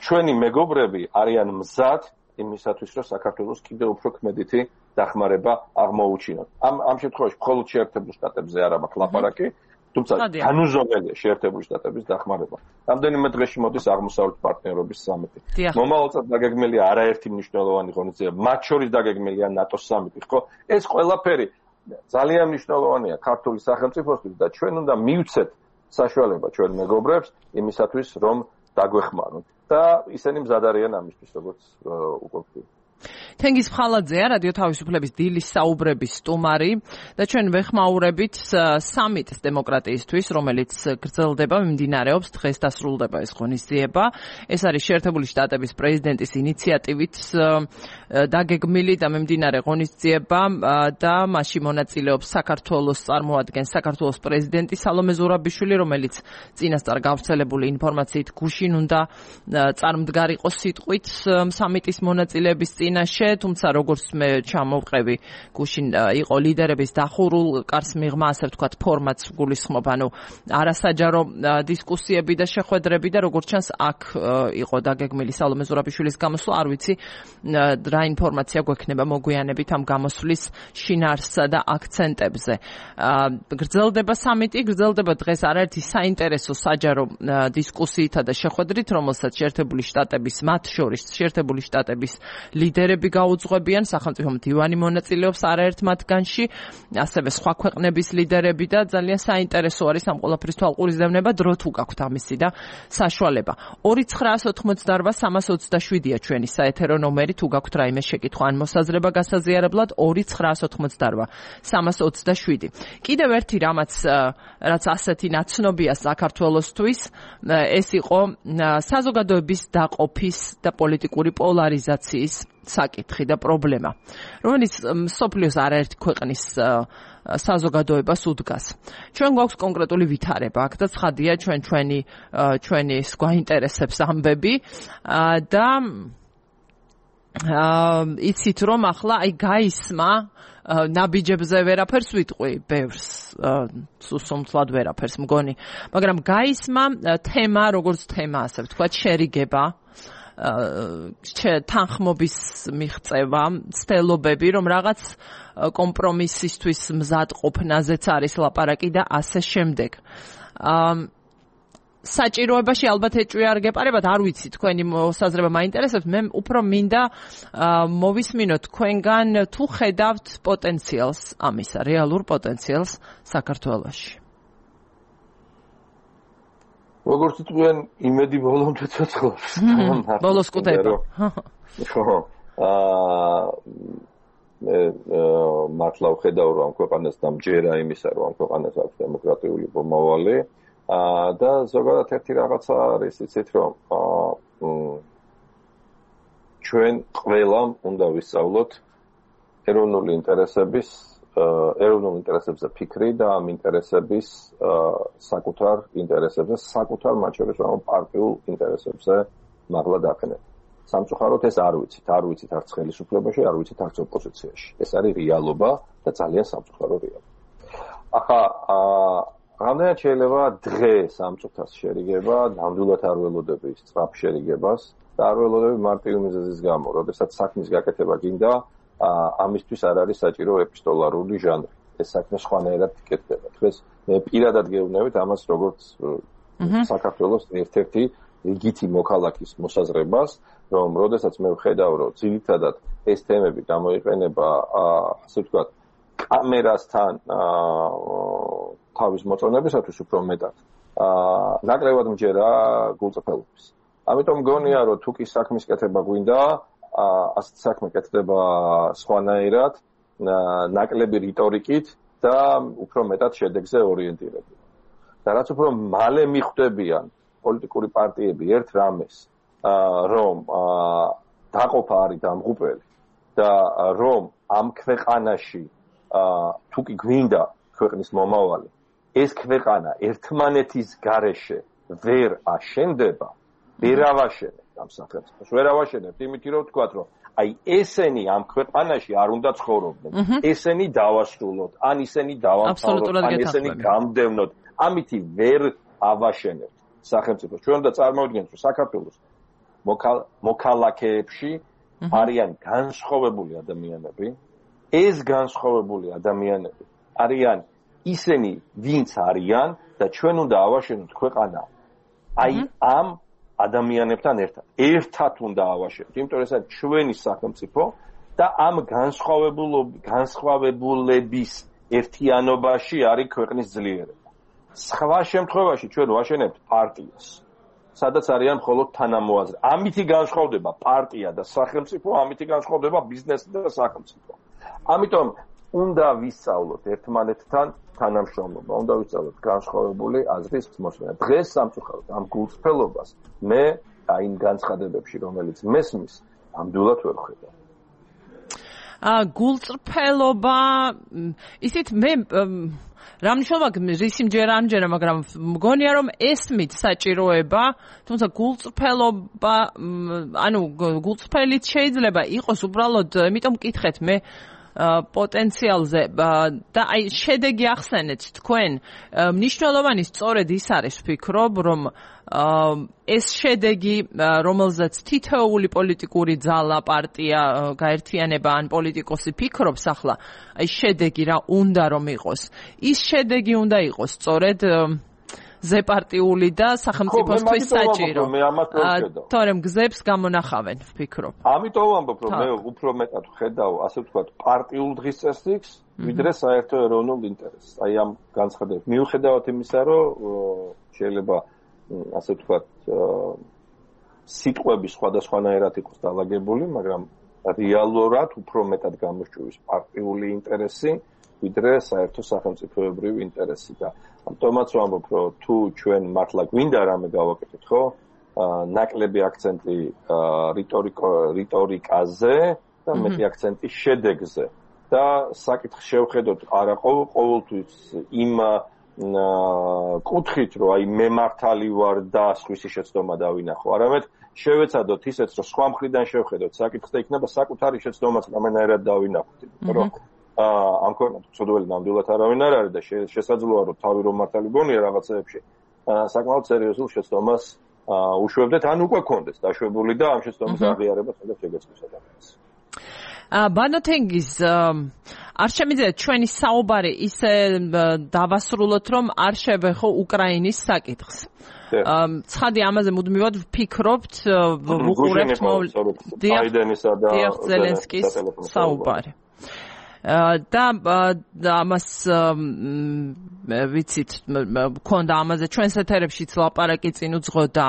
ჩვენი მეგობრები არიან მზად იმისათვის, რომ საქართველოს კიდევ უფრო ქმედითი დახმარება აღმოუჩინოთ. ამ ამ შემთხვევაში მხოლოდ შეერთებულ შტატებზე არ აქვს ლაპარაკი, თუმცა განუზომელია შეერთებული შტატების დახმარება. რამდენიმე დღეში მოდის აღმოსავლეთ პარტნიორობის სამიტი. მომავალ წელს დაგეგმილია არაერთი მნიშვნელოვანი ღონისძიება, მათ შორის დაგეგმილია ნატოს სამიტი, ხო? ეს ყველაფერი ძალიან მნიშვნელოვანია ქართული სახელმწიფოსთვის და ჩვენ უნდა მივცეთ საშუალება ჩვენ მეგობრებს იმისათვის, რომ დაგვეხმაროთ და ისინი მზად არიან ამისთვის, როგორც უკვე ვთქვი. თენგიზ ფხალაძეა, რადიო თავისუფლების დილის საუბრების სტუმარი და ჩვენ ვეხმაურებით სამიტს დემოკრატიისთვის, რომელიც გრძელდება, მიმდინარეობს, დღეს დასრულდება ეს ღონისძიება. ეს არის შეერთებული შტატების პრეზიდენტის ინიციატივით დაგეგმილი და მიმდინარე ღონისძიება და მასში მონაწილეობს საქართველოს წარმოადგენს საქართველოს პრეზიდენტი სალომე ზურაბიშვილი, რომელიც წინასწარ გავრცელებული ინფორმაციით გუშინ უნდა წარმდგარიყო სიტყვით სამიტის მონაწილეების წინაშე, თუმცა როგორც მე ჩამოვყევი, გუშინ იყო ლიდერების დახურულ კარს მიღმა, ასე ვთქვათ, ფორმატს გულისხმობ, ანუ არასაჯარო დისკუსიები და შეხვედრები და როგორც ჩანს, აქ იყო დაგეგმილი სალომე ზურაბიშვილის გამოსვლა, არ ვიცი რა ინფორმაცია გვექნება მოგვიანებით ამ გამოსვლის შინაარსსა და აქცენტებზე. გრძელდება სამიტი, გრძელდება დღეს არაერთი საინტერესო საჯარო დისკუსიითა და შეხვედრით, რომელსაც შეერთებული შტატების, მათ შორის შეერთებული შტატების ლიდერები გაუძღვებიან, სახელმწიფო მდივანი მონაწილეობს არაერთ მათგანში, ასევე სხვა ქვეყნების ლიდერები და ძალიან საინტერესო არის ამ ყველაფრის თვალყურისდევნება, დრო თუ გაქვთ ამისი და საშუალება. ორი ცხრაას ოცდაოთხმოცდაარბა სამას ოცდაშვიდია ჩვენი საეთერო ნომერი, თუ გაქვთ რაიმე შეკითხვა ან მოსაზრება გასაზიარებლად, ორი ცხრაას ოცდაოთხმოცდაარბა სამას ოცდაშვიდი. კიდევ ერთი რამაც რაც ასეთი ნაცნობია საქართველოსთვის, ეს იყო საზოგადოების დაყოფის და პოლიტიკური პოლარიზაციის საკითხი და პრობლემა, რომელიც მსოფლიოს არაერთი ქვეყნის საზოგადოებას უდგას. ჩვენ გვაქვს კონკრეტული ვითარება, აქ და ცხადია ჩვენ ჩვენი ჩვენი გვაინტერესებს ამბები და იცით რომ ახლა აი გაისმა ნაბიჯებზე ვერაფერს ვიტყვი, ბევრს სუსუმთლად ვერაფერს მგონი, მაგრამ გაისმა თემა, როგორც თემა, ასე ვთქვათ, შერიგება, თანხმობის მიღწევა, ცდელობები, რომ რაღაც კომპრომისისთვის მზად ყოფნაზეც არის ლაპარაკი და ასე შემდეგ. საჭიროებაში ალბათ ეჭვი არ გეპარებათ, არ ვიცი, თქვენი მოსაზრება მაინტერესებს, მე უფრო მინდა მოვისმინოთ თქვენგან თუ ხედავთ პოტენციალს ამისა, რეალურ პოტენციალს საქართველოში. როგორც თქვენ, იმედი ბოლომდე ცოცხლობს. ბოლოს კუდება. ხო. აა მე მართლა ვხედავ, რომ ქვეყანას დამჯერა იმისა, რომ ქვეყანას აქვს დემოკრატიული მომავალი. აა და ზოგადად ერთი რაღაცა არის, იცით რომ აა ჩვენ ყველამ უნდა ვისწავლოთ ეროვნული ინტერესების, ეროვნულ ინტერესებზე ფიქრი და ამ ინტერესების საკუთარ ინტერესებზე, საკუთარ მათ შორის რომ პარტიულ ინტერესებზე მაღლა დაყენეთ. სამწუხაროდ ეს არ ვიცით, არ ვიცით არც ხელისუფლებაში, არ ვიცით არც ოპოზიციაში. ეს არის რეალობა და ძალიან სამწუხარო რეალობა. ახლა აა რამდენად შეიძლება დღეს სამწუხაროს შერიგება, ნამდვილად არ ველოდები სწრაფ შერიგებას და არ ველოდები მარტივი მიზეზის გამო, როდესაც საქმის გაკეთება გინდა, ამისთვის არ არის საჭირო ეპისტოლარული ჟანრი. ეს საქმე სხვანაირად იკეთდება. დღეს მე პირადად გეუბნებით ამას, როგორც საქართველოს ერთ-ერთი რიგითი მოქალაქის მოსაზრებას, რომ როდესაც მე ვხედავ, რომ ძირითადად ეს თემები გამოიყენება, ასე ვთქვათ, კამერასთან თავის მოწონებისათვის უფრო მეტად. აა ნაკლებად მჯერა გულწრფელობის. ამიტომ მგონია რომ თუ კი საქმის კეთება გვინდა, ასეთ საქმე კეთდება სხვანაირად, ნაკლები რიტორიკით და უფრო მეტად შედეგზე ორიენტირებული. და რაც უფრო მალე მიხვდებიან პოლიტიკური პარტიები ერთ რამეს, რომ დაყოფა არის დამღუპელი და რომ ამ ქვეყანაში თუ კი გვინდა ქვეყნის მომავალი, ეს ქვეყანა ერთმანეთის გარეშე ვერ აშენდება, ვერ ავაშენებთ ამ სახელმწიფოს, ვერ ავაშენებთ იმით რომ ვთქვათ, რომ აი ესენი ამ ქვეყანაში არ უნდა ცხოვრობდნენ, ესენი დავასრულოთ, ან ისინი დავამთავროთ, ან ესენი გამდევნოთ, ამითი ვერ ავაშენებთ სახელმწიფოს. ჩვენ უნდა წარმოვიდგინოთ, რომ საქართველოს მოქალაქეებში არიან განსხვავებული ადამიანები, ეს განსხვავებული ადამიანები არიან ისინი, ვინც არიან და ჩვენ უნდა ავაშენოთ ქვეყანა აი ამ ადამიანებთან ერთად. ერთად უნდა ავაშენოთ, იმიტომ რომ ეს არის ჩვენი სახელმწიფო და ამ განსხვავებულების ერთიანობაში არის ქვეყნის ძლიერება. სხვა შემთხვევაში ჩვენ ვაშენებთ პარტიას, სადაც არიან მხოლოდ თანამოაზრე. ამითი განსხვავდება პარტია და სახელმწიფო, ამითი განსხვავდება ბიზნესი და სახელმწიფო. ამიტომ უნდა ვისწავლოთ ერთმანეთთან თანამშრომლობა, უნდა ვისწავლოთ განსხვავებული აზრის მოსმენა. დღეს სამწუხაროდ ამ გულწრფელობას მე აი იმ განცხადებებში, რომელიც მესმის, ამდულად ვერ ხედავ. ა გულწრფელობა ისეთ მე რა მნიშვნელობა რის იმჯერა ამჯერა, მაგრამ მგონია რომ ესმით საჭიროება, თუმცა გულწრფელობა, ანუ გულწრფელიც შეიძლება იყოს უბრალოდ, იმიტომ მკითხეთ მე პოტენციალზე და აი შედეგი ახსენეთ თქვენ, მნიშვნელოვანი სწორედ ის არის ვფიქრობ, რომ ეს შედეგი, რომელზეც თითოეული პოლიტიკური ძალა, პარტია, გაერთიანება ან პოლიტიკოსი ფიქრობს ახლა, აი შედეგი რა უნდა რომ იყოს. ის შედეგი უნდა იყოს სწორედ ზეპარტიული და სახელმწიფოსთვის საჭირო. თორემ გზებს გამონახავენ, ვფიქრობ. ამიტომ ვამბობ, რომ მე უფრო მეტად ვხედავ, ასე ვთქვათ, პარტიულ დღის წესრიგს, ვიდრე საერთო ეროვნულ ინტერესს. აი ამ განცხადებით. მიუხედავად იმისა, რომ შეიძლება ასე ვთქვათ, სიტყვები სხვადასხვანაირად იყოს დალაგებული, მაგრამ რეალურად უფრო მეტად გამოსჭვის პარტიული ინტერესი, ვიდრე საერთო სახელმწიფოებრივი ინტერესი და ამიტომაც ვამბობ, რომ თუ ჩვენ მართლა გვინდა რამე გავაკეთოთ, ხო? ნაკლები აქცენტი რიტორიკაზე და მეტი აქცენტი შედეგზე. და საკითხს შევხედოთ არა ყოველთვის იმ კუთხით, რომ აი მე მართალი ვარ და სხვისი შეცდომა დავინახო, არამედ შევეცადოთ ისეც, რომ სხვა მხრიდან შევხედოთ საკითხს და იქნება საკუთარი შეცდომაც რამენაირად დავინახოთ, რომ ამ ქვეყანაში ცოდველი ნამდვილად არავინ არ არის და შესაძლოა რომ თავი რომ მართალი გონია რაღაცეებში საკმაოდ სერიოზულ შეცდომას უშვებდეთ ან უკვე გქონდეს დაშვებული და ამ შეცდომის აღიარება სადაც შეგეცნოს ადამიანს. ბანოთენგის არ შემიძლია ჩვენი საუბარი ისე დავასრულოთ, რომ არ შევეხო უკრაინის საკითხს. ცხადი ამაზე მუდმივად ვფიქრობთ, ვუყურებთ ბაიდენისა და ზელენსკის საუბარი. და ამას ვიცით, მქონდა ამაზე ჩვენს ეთერებშიც ლაპარაკი წინ უძღოდა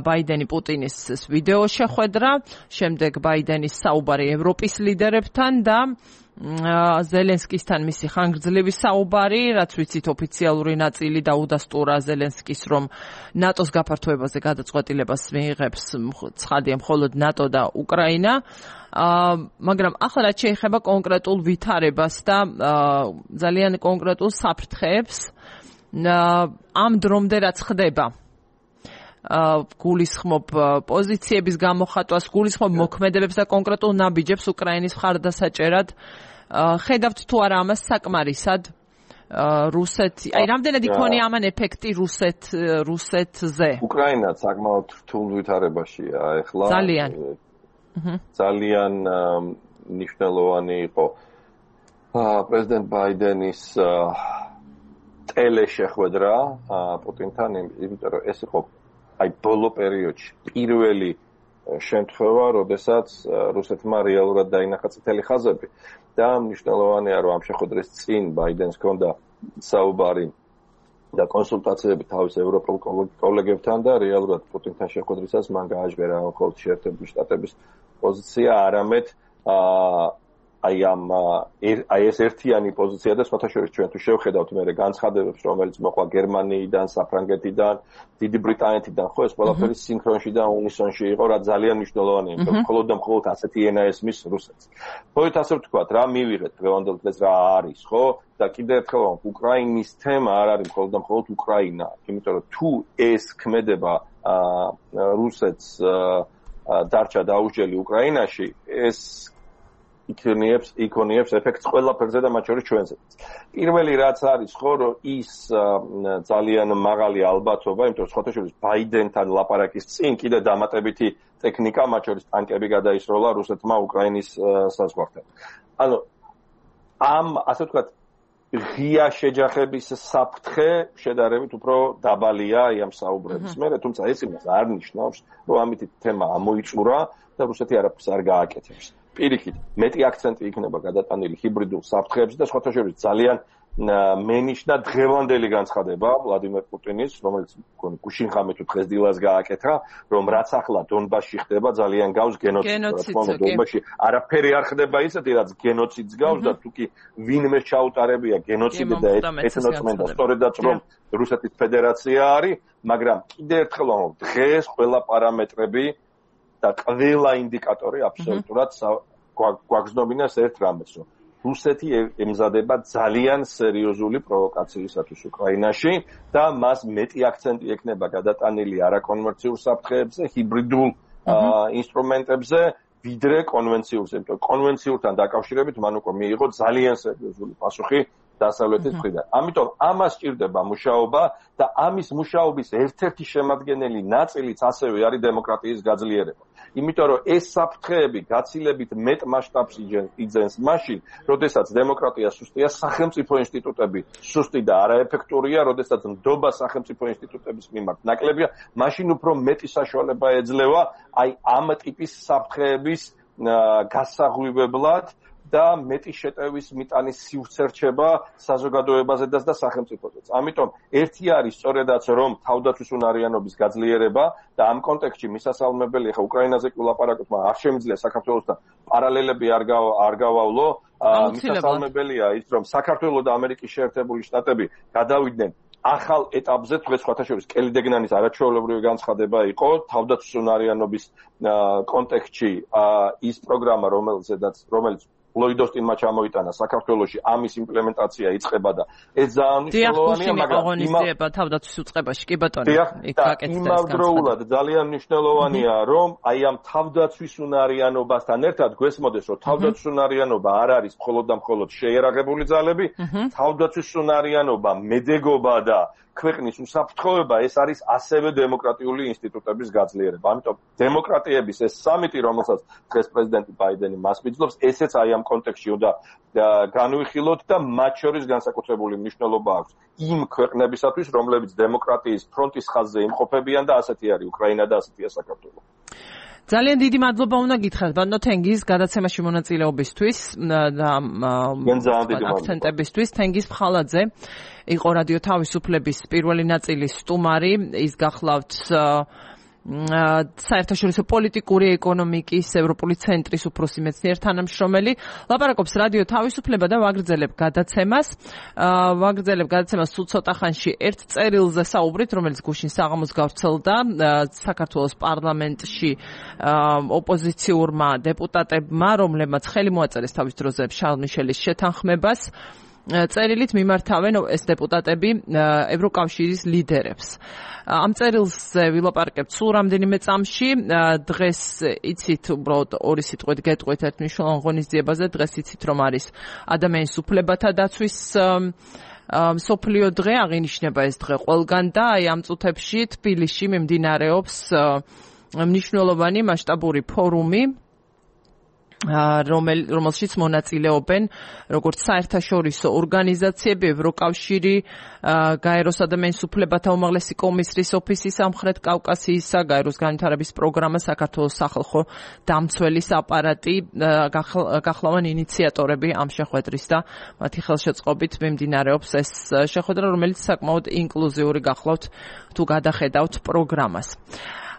ბაიდენი პუტინის ვიდეო შეხვედრა, შემდეგ ბაიდენის საუბარი ევროპის ლიდერებთან და ზელენსკისთან მისი ხანგრძლივი საუბარი, რაც ვიცით ოფიციალური ნაწილი დაუდასტურა ზელენსკის, რომ ნატოს გაფართოებაზე გადაწყვეტილებას მიიღებს ცხადია მხოლოდ ნატო და უკრაინა. მაგრამ ახლა რაც შეეხება კონკრეტულ ვითარებას და ძალიან კონკრეტულ საფრთხეებს ამ დრომდე რაც ხდება, გულისხმობ პოზიციების გამოხატვას, გულისხმობ მოქმედებებს და კონკრეტულ ნაბიჯებს უკრაინის მხარდასაჭერად, ხედავთ თუ არა ამას საკმარისად რუსეთი, აი რამდენად იქონია ამან ეფექტი რუსეთ რუსეთზე? უკრაინა საკმაოდ რთულ ვითარებაშია ეხლა. ძალიან ძალიან მნიშვნელოვანი იყო პრეზიდენტ ბაიდენის ტელეშეხვედრა პუტინთან, იმიტომ რომ ეს იყო აი ბოლო პერიოდში პირველი შემთხვევა, როდესაც რუსეთმა რეალურად დაინახა წითელი ხაზები და მნიშვნელოვანია, რომ ამ შეხვედრის წინ ბაიდენს ჰქონდა საუბარი და კონსულტაციები თავის ევროპულ კოლეგებთან და რეალურად პუტინთან შეხვედრისას მან გააჟღერა მხოლოდ შეერთებული შტატების პოზიცია, არამედ აი ამ აი ეს ერთიანი პოზიცია და სხვათა შორის ჩვენ თუ შევხედავთ მე განცხადებებს, რომელიც მოყვა გერმანიიდან, საფრანგეთიდან, დიდი ბრიტანეთიდან, ხო ეს ყველაფერი სინქრონში და უნისონში იყო, რა ძალიან მნიშვნელოვანია, იმიტომ რომ მხოლოდ და მხოლოდ ასეთი ენა ესმის რუსეთს. მოით ასე ვთქვათ, რა მივიღეთ დღევანდელ დღეს რა არის, ხო? და კიდევ ერთხელ უკრაინის თემა არ არის მხოლოდ და მხოლოდ უკრაინა, იმიტომ რომ თუ ეს ქმედება რუსეთს დარჩა დაუჯელი უკრაინაში, ეს იქონიებს იქონიებს ეფექტს ყველაფერზე და მათ შორის ჩვენზე. პირველი რაც არის ხო, რომ ის ძალიან მაღალი ალბათობა, იმიტომ რომ სხვათა შორის ბაიდენთან ლაპარაკის წინ კიდე დამატებითი ტექნიკა, მათ შორის ტანკები გადაისროლა რუსეთმა უკრაინის საზღვართან. ანუ ამ ასე ვთქვათ ღია შეჯახების საფრთხე შედარებით უფრო დაბალია ამ საუბრების მერე, თუმცა ეს იმას არ ნიშნავს, რომ ამით თემა ამოიწურა და რუსეთი არაფერს არ გააკეთებს. პირიქით, მეტი აქცენტი იქნება გადატანილი ჰიბრიდულ საფრთხეებზე და სხვათა შორის ძალიან მენიშნა დღევანდელი განცხადება ვლადიმერ პუტინის, რომელიც გუშინხამე თუ დღეს დილას გააკეთა, რომ რაც ახლა დონბასში ხდება ძალიან გავს გენოციდს. დონბასში არაფერი არ ხდება ისეთი, რაც გენოციდს გავს და თუკი ვინმე ჩაუტარებია გენოციდი და ეთნოცმენდა, სწორედაც რომ რუსეთის ფედერაცია არის, მაგრამ კიდევ ერთხელ ვამბობ, დღეს ყველა პარამეტრები და ყველა ინდიკატორი აბსოლუტურად გვაგზნობინებს ერთ რამეს, რომ რუსეთი ემზადება ძალიან სერიოზული პროვოკაციისათვის უკრაინაში და მას მეტი აქცენტი ექნება გადატანილი არაკონვენციურ საფრთხეებზე, ჰიბრიდულ ინსტრუმენტებზე, ვიდრე კონვენციურზე. იმიტომ რომ კონვენციურთან დაკავშირებით მან უკვე მიიღო ძალიან სერიოზული პასუხი დასავლეთის მხრიდან. ამიტომ ამას სჭირდება მუშაობა და ამის მუშაობის ერთ-ერთი შემადგენელი ნაწილიც ასევე არის დემოკრატიის გაძლიერება. იმიტომ რომ ეს საფრთხეები გაცილებით მეტ მასშტაბს იძენს მაშინ, როდესაც დემოკრატია სუსტია, სახელმწიფო ინსტიტუტები სუსტი და არაეფექტურია, როდესაც ნდობა სახელმწიფო ინსტიტუტების მიმართ ნაკლებია, მაშინ უფრო მეტი საშუალება ეძლევა აი ამ ტიპის საფრთხეების გასაღვივებლად და მეტი შეტევის მიტანის სივრცე რჩება საზოგადოებაზედაც და სახელმწიფოზეც. ამიტომ ერთი არის სწორედაც რომ თავდაცვის უნარიანობის გაძლიერება და ამ კონტექსტში მისასალმებელი ხა უკრაინაზე ვილაპარაკოთ, მაგრამ არ შემიძლია საქართველოსთან პარალელები არ არ გავავლო. მისასალმებელია ის რომ საქართველოს და ამერიკის შეერთებული შტატები გადავიდნენ ახალ ეტაპზე, თქვენ სხვათა შორის კელი დეგნანის არაჩვეულებრივი განცხადება იყო თავდაცვის უნარიანობის კონტექსტში ის პროგრამა რომელზედაც რომელიც ლოიდოსტინმა ჩამოიტანა საქართველოში ამის იმპლემენტაცია იწყება და ეს ძალიან მნიშვნელოვანია, მაგრამ იმავდროულად თავდაცვის უწყებაში კი ბატონო იქ გაკეთდა ეს იმავდროულად ძალიან მნიშვნელოვანია რომ აი ამ თავდაცვის უნარიანობასთან ერთად გვესმოდეს რომ თავდაცვის უნარიანობა არ არის მხოლოდ და მხოლოდ შეერაღებული ძალები, თავდაცვის უნარიანობა, მედეგობა და ქვეყნის უსაფრთხოება ეს არის ასევე დემოკრატიული ინსტიტუტების გაძლიერება. ამიტომ დემოკრატიების ეს სამიტი, რომელსაც დღეს პრეზიდენტი ბაიდენი მას მიძლობს, ესეც აი ამ კონტექსტში უნდა განვიხილოთ და მათ შორის განსაკუთრებული მნიშვნელობა აქვს იმ ქვეყნებისათვის, რომლებიც დემოკრატიის ფრონტის ხაზზე იმყოფებიან და ასეთი არის უკრაინა და ასეთია საქართველო. ძალიან დიდი მადლობა უნდა გითხრათ ბატონო თენგიზ გადაცემაში მონაწილეობისთვის და აქცენტებისთვის. თენგიზ ფხალაძე იყო რადიო თავისუფლების პირველი ნაწილის სტუმარი, ის გახლავთ საერთაშორისო პოლიტიკური ეკონომიკის ევროპული ცენტრის უფროსი მეცნიერ თანამშრომელი. ლაპარაკობს რადიო თავისუფლება და ვაგრძელებ გადაცემას. ვაგრძელებ გადაცემას სულ ცოტა ხანში ერთ წერილზე საუბრით, რომელიც გუშინ საღამოს გავრცელდა საქართველოს პარლამენტში ოპოზიციურმა დეპუტატებმა, რომლებმაც ხელი მოაწერეს თავის დროზე შარლ მიშელის შეთანხმებას. წერილით მიმართავენ ეს დეპუტატები ევროკავშირის ლიდერებს. ამ წერილზე ვილაპარაკებთ სულ რამდენიმე წამში. დღეს იცით უბრალოდ ორი სიტყვით გეტყვით ერთ მნიშვნელოვან ღონისძიებაზე. დღეს იცით რომ არის ადამიანის უფლებათა დაცვის მსოფლიო დღე, აღინიშნება ეს დღე ყველგან და აი ამ წუთებში თბილისში მიმდინარეობს მნიშვნელოვანი მასშტაბური ფორუმი რომელშიც მონაწილეობენ როგორც საერთაშორისო ორგანიზაციები, ევროკავშირი, გაეროს ადამიანის უფლებათა უმაღლესი კომისრის ოფისი სამხრეთ კავკასიისა, გაეროს განვითარების პროგრამა, საქართველოს სახალხო დამცველის აპარატი გახლავან ინიციატორები ამ შეხვედრის და მათი ხელშეწყობით მიმდინარეობს ეს შეხვედრა, რომელიც საკმაოდ ინკლუზიური გახლავთ თუ გადახედავთ პროგრამას.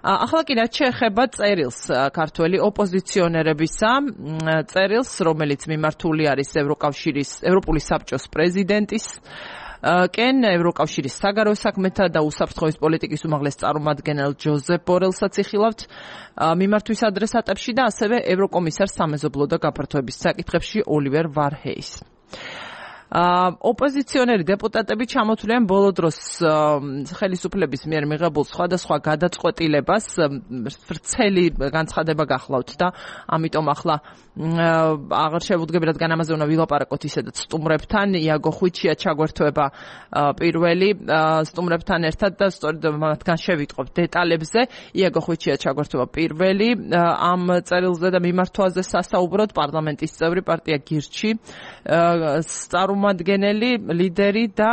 ახლა კი რაც შეეხება წერილს ქართველი ოპოზიციონერებისა, წერილს, რომელიც მიმართული არის ევროკავშირის, ევროპული საბჭოს პრეზიდენტის კენ ევროკავშირის საგარეო საქმეთა და უსაფრთხოების პოლიტიკის უმაღლეს წარმომადგენელ ჯოზეფ ბორელსაც იხილავთ მიმართვის ადრესატებში და ასევე ევროკომისარს სამეზობლო და გაფართოების საკითხებში ოლივერ ვარჰეის. ოპოზიციონერი დეპუტატები ჩამოთვლიან ბოლო დროს ხელისუფლების მიერ მიღებულ სხვადასხვა გადაწყვეტილებას, ვრცელი განცხადება გახლავთ და ამიტომ ახლა აღარ შევუდგები, რადგან ამაზე უნდა ვილაპარაკოთ ისედაც სტუმრებთან. იაგო ხვიჩია ჩაგვერთვება პირველი სტუმრებთან ერთად და სწორედ მათგან შევიტყობ დეტალებზე. იაგო ხვიჩია ჩაგვერთვება პირველი ამ წერილზე და მიმართვაზე სასაუბროდ, პარლამენტის წევრი, პარტია გირჩი, წარმომადგენელი, ლიდერი და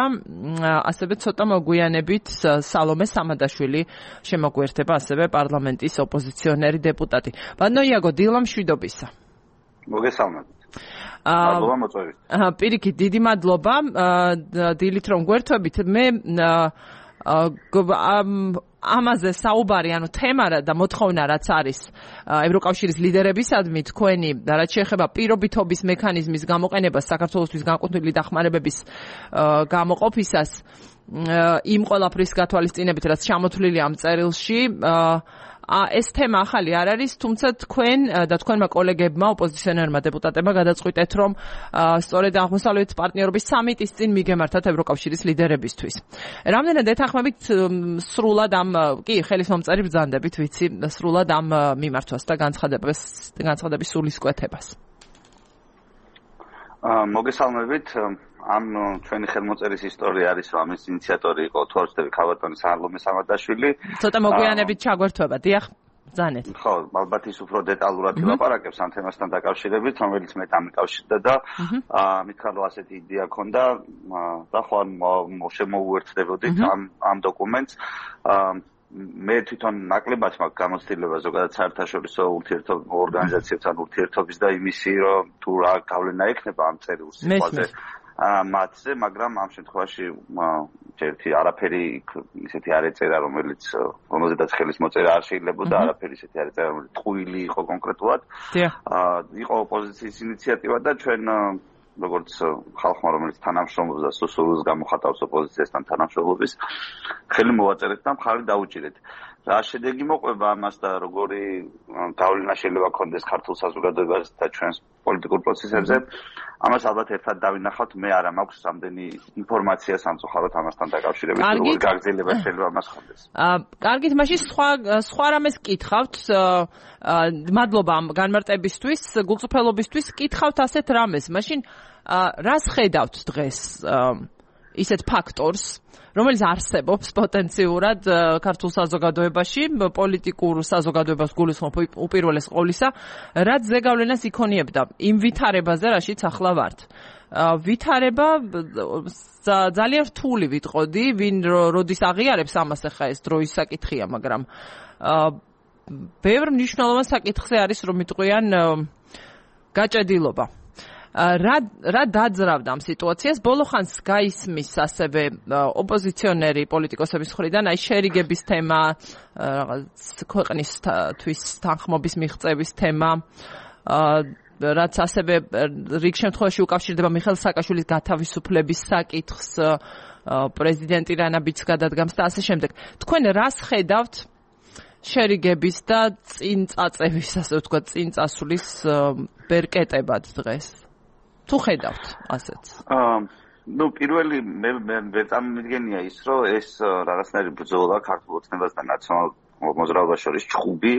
ასევე ცოტა მოგვიანებით სალომე სამადაშვილი შემოგვერთება, ასევე პარლამენტის ოპოზიციონერი დეპუტატი. ბატონო იაგო, დილა მშვიდობისა. მოგესალმებით. მადლობა მოწვევით. პირიქით, დიდი მადლობა დილით რომ გვერთვებით. მე ამაზე საუბარი, ანუ თემა და მოთხოვნა რაც არის ევროკავშირის ლიდერებისადმი, თქვენი რაც შეეხება პირობითობის მექანიზმის გამოყენებას საქართველოსთვის განკუთვნილი დახმარებების გამოყოფისას, იმ ყველაფრის გათვალისწინებით, რაც ჩამოთვლილი ამ წერილში, ეს თემა ახალი არ არის, თუმცა თქვენ და თქვენმა კოლეგებმა, ოპოზიციონერმა დეპუტატებმა გადაწყვიტეთ, რომ სწორედ აღმოსავლეთ პარტნიორობის სამიტის წინ მიგემართათ ევროკავშირის ლიდერებისთვის. რამდენად ეთანხმებით სრულად ამ, კი, ხელის მომწერი ბრძანდებით, ვიცი, სრულად ამ მიმართვას და განცხადებას, განცხადების სულისკვეთებას. მოგესალმებით. ამ ჩვენი ხელმოწერის ისტორია არის, რომ ამის ინიციატორი იყო თორსტები ქალბატონი სალომე სამადაშვილი. ცოტა მოგვიანებით ჩაგვერთვება, დიახ, ბრძანეთ. ხო, ალბათ ის უფრო დეტალურად ილაპარაკებს ამ თემასთან დაკავშირებით, რომელიც მე დამიკავშირდა და მithქარდა ასეთი იდეა ქონდა და ხო შემოუერთდებოდით ამ ამ დოკუმენტს. მე თვითონ ნაკლებად მაქვს გამოცდილება ზოგადად საერთაშორისო ურთიერთობ ორგანიზაციებთან ურთიერთობის და იმისი, რომ თუ რა გავლენა ექნება ამ წერილს სიტყვაზე მათზე, მაგრამ ამ შემთხვევაში ერთი არაფერი ისეთი არ ეწერა, რომელიც რომელზედაც ხელის მოწერა არ შეიძლება და არაფერი ისეთი არ ეწერა, რომელიც ტყუილი იყო კონკრეტულად. იყო ოპოზიციის ინიციატივა და ჩვენ როგორც ხალხმა, რომელიც თანამშრომლობს და სუსულის გამოხატავს ოპოზიციასთან თანამშრომლობის, ხელი მოვაწერეთ და მხარი დაუჭირეთ. რა შედეგი მოყვება ამას და როგორი გავლენა შეიძლება ქონდეს ქართულ საზოგადოებას და ჩვენს პოლიტიკურ პროცესებზე, ამას ალბათ ერთად დავინახავთ. მე არა მაქვს რამდენი ინფორმაცია სამწუხაროდ ამასთან დაკავშირებით, როგორი გაგრძელება შეიძლება ამას ხონდეს. კარგით, მაშინ სხვა სხვა რამეს კითხავთ. მადლობა ამ განმარტებისთვის, გულწრფელობისთვის. კითხავთ ასეთ რამეს. მაშინ რას ხედავთ დღეს ისეთ ფაქტორს, რომელიც არსებობს პოტენციურად ქართულ საზოგადოებაში, პოლიტიკურ საზოგადოებას გულისხმობ უპირველეს ყოვლისა, რაც ზეგავლენას იქონიებდა იმ ვითარებაზე, რაშიც ახლა ვართ. ვითარება ძალიან რთული ვიტყოდი, ვინ როდის აღიარებს ამას, ახლა ეს დროის საკითხია, მაგრამ ბევრ მნიშვნელოვან საკითხზე არის, რომ იტყვიან გაჭედილობა. რა რა დაძრავდა ამ სიტუაციას? ბოლო ხანს გაისმის ასევე ოპოზიციონერი პოლიტიკოსების მხრიდან აი შერიგების თემა, რაღაც ქვეყნისთვის თანხმობის მიღწევის თემა, რაც ასევე რიგ შემთხვევაში უკავშირდება მიხეილ სააკაშვილის გათავისუფლების საკითხს, პრეზიდენტი რანაბიც გადადგამს და ასე შემდეგ. თქვენ რას ხედავთ შერიგების და წინ წაწევის, ასე ვთქვათ, წინ წასვლის ბერკეტებად დღეს? თუ ხედავთ ასეც? აა ნუ პირველი მე მე წარმოგიდგენია ის, რომ ეს რაღაცნაირი ბრძოლა ქართულ ოცნებას და ნაციონალ მოძრაობას შორის ჩხუბი